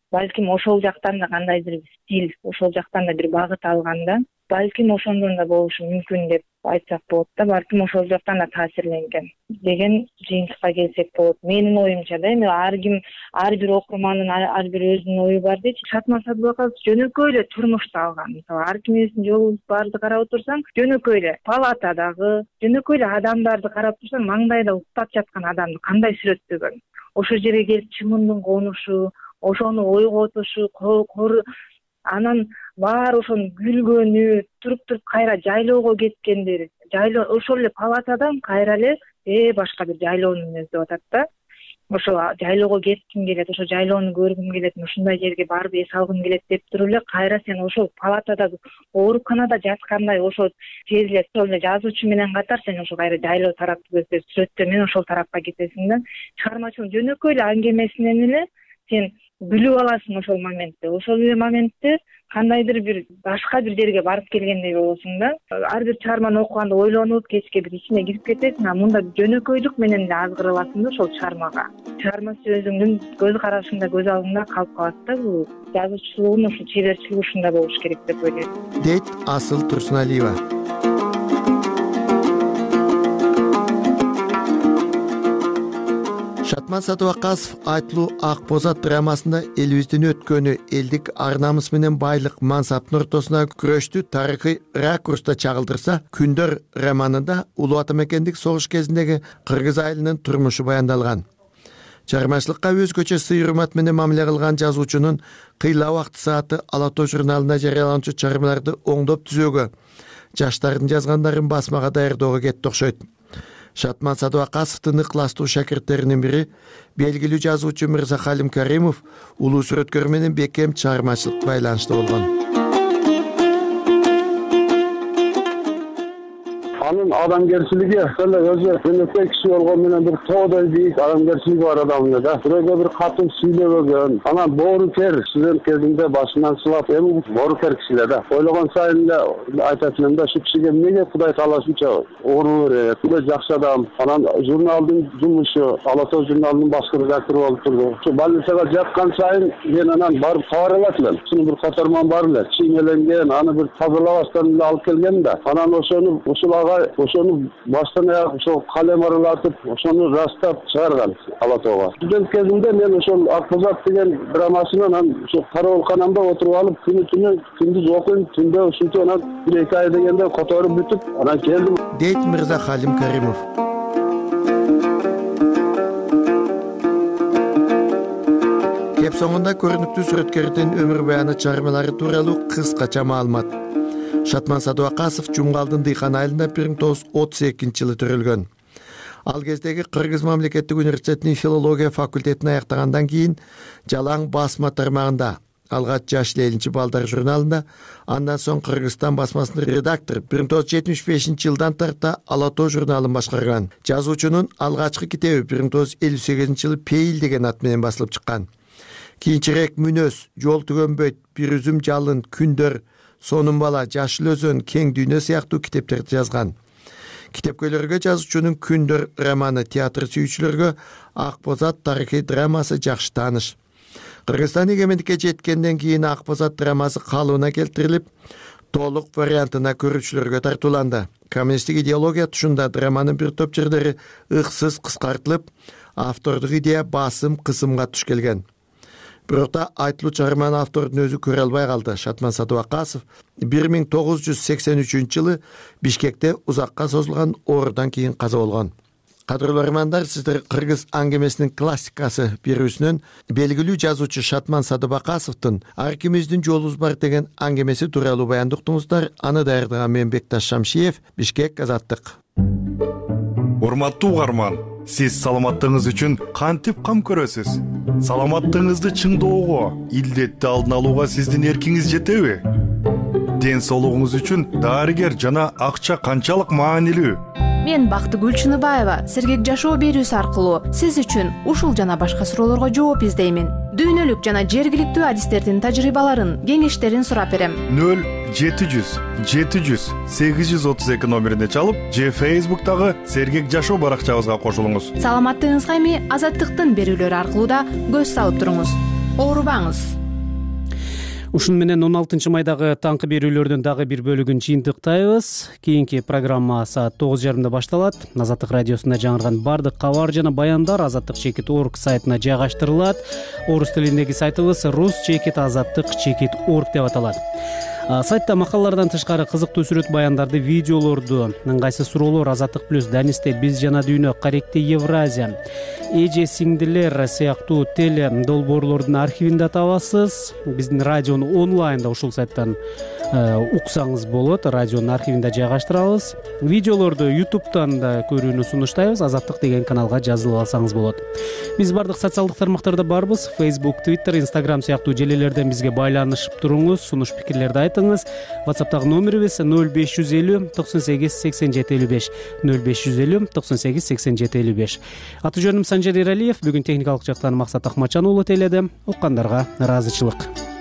балким ошол жактан да кандайдыр стиль, ошол жактан да бир багыт алган да. балким ошондон да болушу мүмкүн деп айтсак болот да, балким ошол жактан да таасирленген деген жыйынтыкка келсек болот. Менин оюмча да, эми ар бир окурмандын ар бир өзүнүн ою бар дейт. Шатман Садыбаков жөнөкөй эле турмушту алган. Мисалы ар кимибиздин жолубуз барды карап отурсаң, жөнөкөй эле палатадагы, жөнөкөй эле адамдарды карап турсаң, маңдайда уктап жаткан адамды кандай сүрөттөгөн. Ошол жерге келип чымындын конушу, ошону ойготушу, анан баары ошонун күлгөнү, туруп кайра жайлоого кеткендери, ошол эле палатадан кайра эле башка бир жайлоону өздүп атат да. Ошол жайлоого кетким келет, ошол жайлоону көргүм келет, ушундай жерге барып эс алгым келет деп туруп эле кайра сен ошол палатада ооруканада жаткандай ошол сезилет. Ошол эле жазуучу менен катар сен ошол кайра жайлоо тарапты көрсөтүп сүрөттөө менен ошол тарапка кетесиң да. Чыгармачылык жөнөкөй эле аңгемесинен эле сен билип аласың ошол моментте. Ошол эле моментте кандайдыр бир башка бир жерге барып келгендей болосуң да. Ар бир чыгарманы окуганда ойлонуп, кечке бир ичине кирип кетесиң, мында жөнөкөйлүк менен эле азгырыласың да ошол чыгармага. Чыгармасы өзүңдүн көз карашыңда, көз алдыңда калып калат да. Бул жазуучулугун ушул чеберчилиги ушунда болуш керек деп ойлойм. Дейт Асыл Турсуналиева. Шатман Садыбакасов Айтылуу ак боз ат драмасында элибиздин өткөнү, элдик ар намыс менен байлык, мансаптын ортосуна күрөштү тарыхый ракурста чагылдырса, Күндөр романында улуу ата мекендик согуш кезиндеги кыргыз айылынын турмушу баяндалган. Чыгармачылыкка өзгөчө сый-урмат менен мамиле кылган жазуучунун кыйла убакыт сааты Ала тоо журналында жарыяланчу чыгармаларды оңдоп түзөөгө, жаштардын жазгандарын басмага даярдоого кетти окшойт. Шатман Садыбакасовдун ыкластуу шакирттеринин бири белгилүү жазуучу Мырзахалим Каримов улуу сүрөткөр менен бекем чыгармачылык байланышта болгон. Анын адамгерчилиги өзү жөнөкөй киши болгон менен бир тоодой бийик адамгерчилиги бар адам эле да. Бирөөгө бир катын сүйлөбөгөн, анан боорукер студент кезинде башынан сылап, эми боорукер киши эле да. Ойлогон сайын эле айтат элем да, шу кишиге эмнеге Кудай таалашынча орун берет, Кудай жакшы адам. Анан журналдын жумушу, Ала тоо журналынын башкы редактору болуп турду. Ушу больницага жаткан сайын мен анан барып кабар алат элем. Ушунун бир катарман бар эле, чиймеленген, аны бир тазалабастан эле алып келген да. Анан ошону баштан аяк ошол калем аралатып, ошону растап чыгарган Ала тоого. Студент кезимде мен ошол Ак боз ат деген драмасын анан ошол караболканамда отуруп алып, күндүз окуйм, түндө ушинтип анан 1-2 ай дегенде которуп бүтүп, анан келдим. Дейт Мырзахалим Каримов. Кеп соңунда көрүнүктүү сүрөткөрдүн өмүр баяны чыгармалары тууралуу кыскача маалымат. Шатман Садыбакасов Жумгалдын Дыйкан айылында 1932-жылы төрөлгөн. Ал кездеги Кыргыз мамлекеттик университетинин филология факультетин аяктагандан кийин Жалаң басма тармагында, алгач Жаш Лелинчи балдар журналында, андан соң Кыргызстан басмасынын редактор, 1975-жылдан тарта Ала тоо журналын башкарган. Жазуучунун алгачкы китеби 1958-жылы Пейил деген ат менен басылып чыккан. Кийинчерээк Мүнөз, Жол түгөнбөйт, Бир үзүм жалын, Күндөр, Сонун бала, Жашыл өзөн, Кең дүйнө сыяктуу китептерди жазган. Китепкөйлөргө жазуучунун Күндөр романы, театр сүйүүчүлөргө Ак боз ат тарыхый драмасы жакшы тааныш. Кыргызстан эгемендикке жеткенден кийин Ак боз ат драмасы калыбына келтирилип, толук вариантына көрүүчүлөргө тартууланды. Коммунисттик идеология тушунда драманын бир топ жерлери ыксыз кыскартылып, автордук идея басым-кысымга туш келген. Бирок да айтылуу чыгарманы автордун өзү көрө албай калды. Шатман Садыбакасов 1983-жылы Бишкекте узакка созулган оорудан кийин каза болгон. Кадырлуу романдар, сиздер кыргыз аңгемесинин классикасы берүүсүнөн белгилүү жазуучу Шатман Садыбакасовдун Ар кимибиздин жолубуз бар деген аңгемеси тууралуу баянды уктуңуздар. Аны даярдаган мен Бекташ Шамшиев, Бишкек, Азаттык. Урматтуу угарман, сиз саламаттыгыңыз үчүн кантип кам көрөсүз? Саламаттыгыңызды чыңдоого, илдетти алдын алууга сиздин эркиңиз жетеби? Ден соолугуңуз үчүн дарыгер жана акча канчалык маанилүү? Мен Бактыгүл Чыныбаева сергек жашоо берүүсү аркылуу сиз үчүн ушул жана башка суроолорго жооп издеймин. Дүйнөлүк жана жергиликтүү адистердин тажрыйбаларын, кеңештерин сурап берем. 0-700-832 номерине чалып, же Facebook'тагы сергек жашоо баракчабызга кошулуңуз. Саламаттыгыңызга эми Азаттыктын берүүлөрү аркылуу да көз салып туруңуз. Оорубаңыз. Ушуну менен 16 майдагы таңкы берүүлөрдүн дагы бир бөлүгүн жыйынтыктайбыз. Кийинки программа саат 9:30 башталат. Азаттык радиосунда жаңырган бардык кабар жана баяндар azattik.org сайтына жайгаштырылат. Орус тилиндеги сайтыбыз rus.azattik.org деп аталат. Сайтта макалалардан тышкары кызыктуу сүрөт баяндарды, видеолорду, ыңгайсыз суроолор, Азаттык плюс, Данисте, Биз жана дүйнө, Каректе Евразия, Эже сиңдилер сыяктуу теле долбоорлордун архивинде табасыз. Биздин радиону онлайнда ушул сайттан уксаңыз болот. Радионун архивинде жайгаштырабыз. Видеолорду YouTube'дан да көрүүнү сунуштайбыз. Азаттык деген каналга жазылып алсаңыз болот. Биз бардык социалдык тармактарда барбыз. Facebook, Twitter, Instagram сыяктуу желелерден бизге байланышып туруңуз, сунуш пикирлерди айтыңыз. WhatsApp'тагы номерибиз 0550 98 87 55 0550 98 87 55. Аты жөнүм Санжар Эралиев. Бүгүн техникалык жактан Максат Акмачан уулу тейледи. Уккандарга ыраазычылык.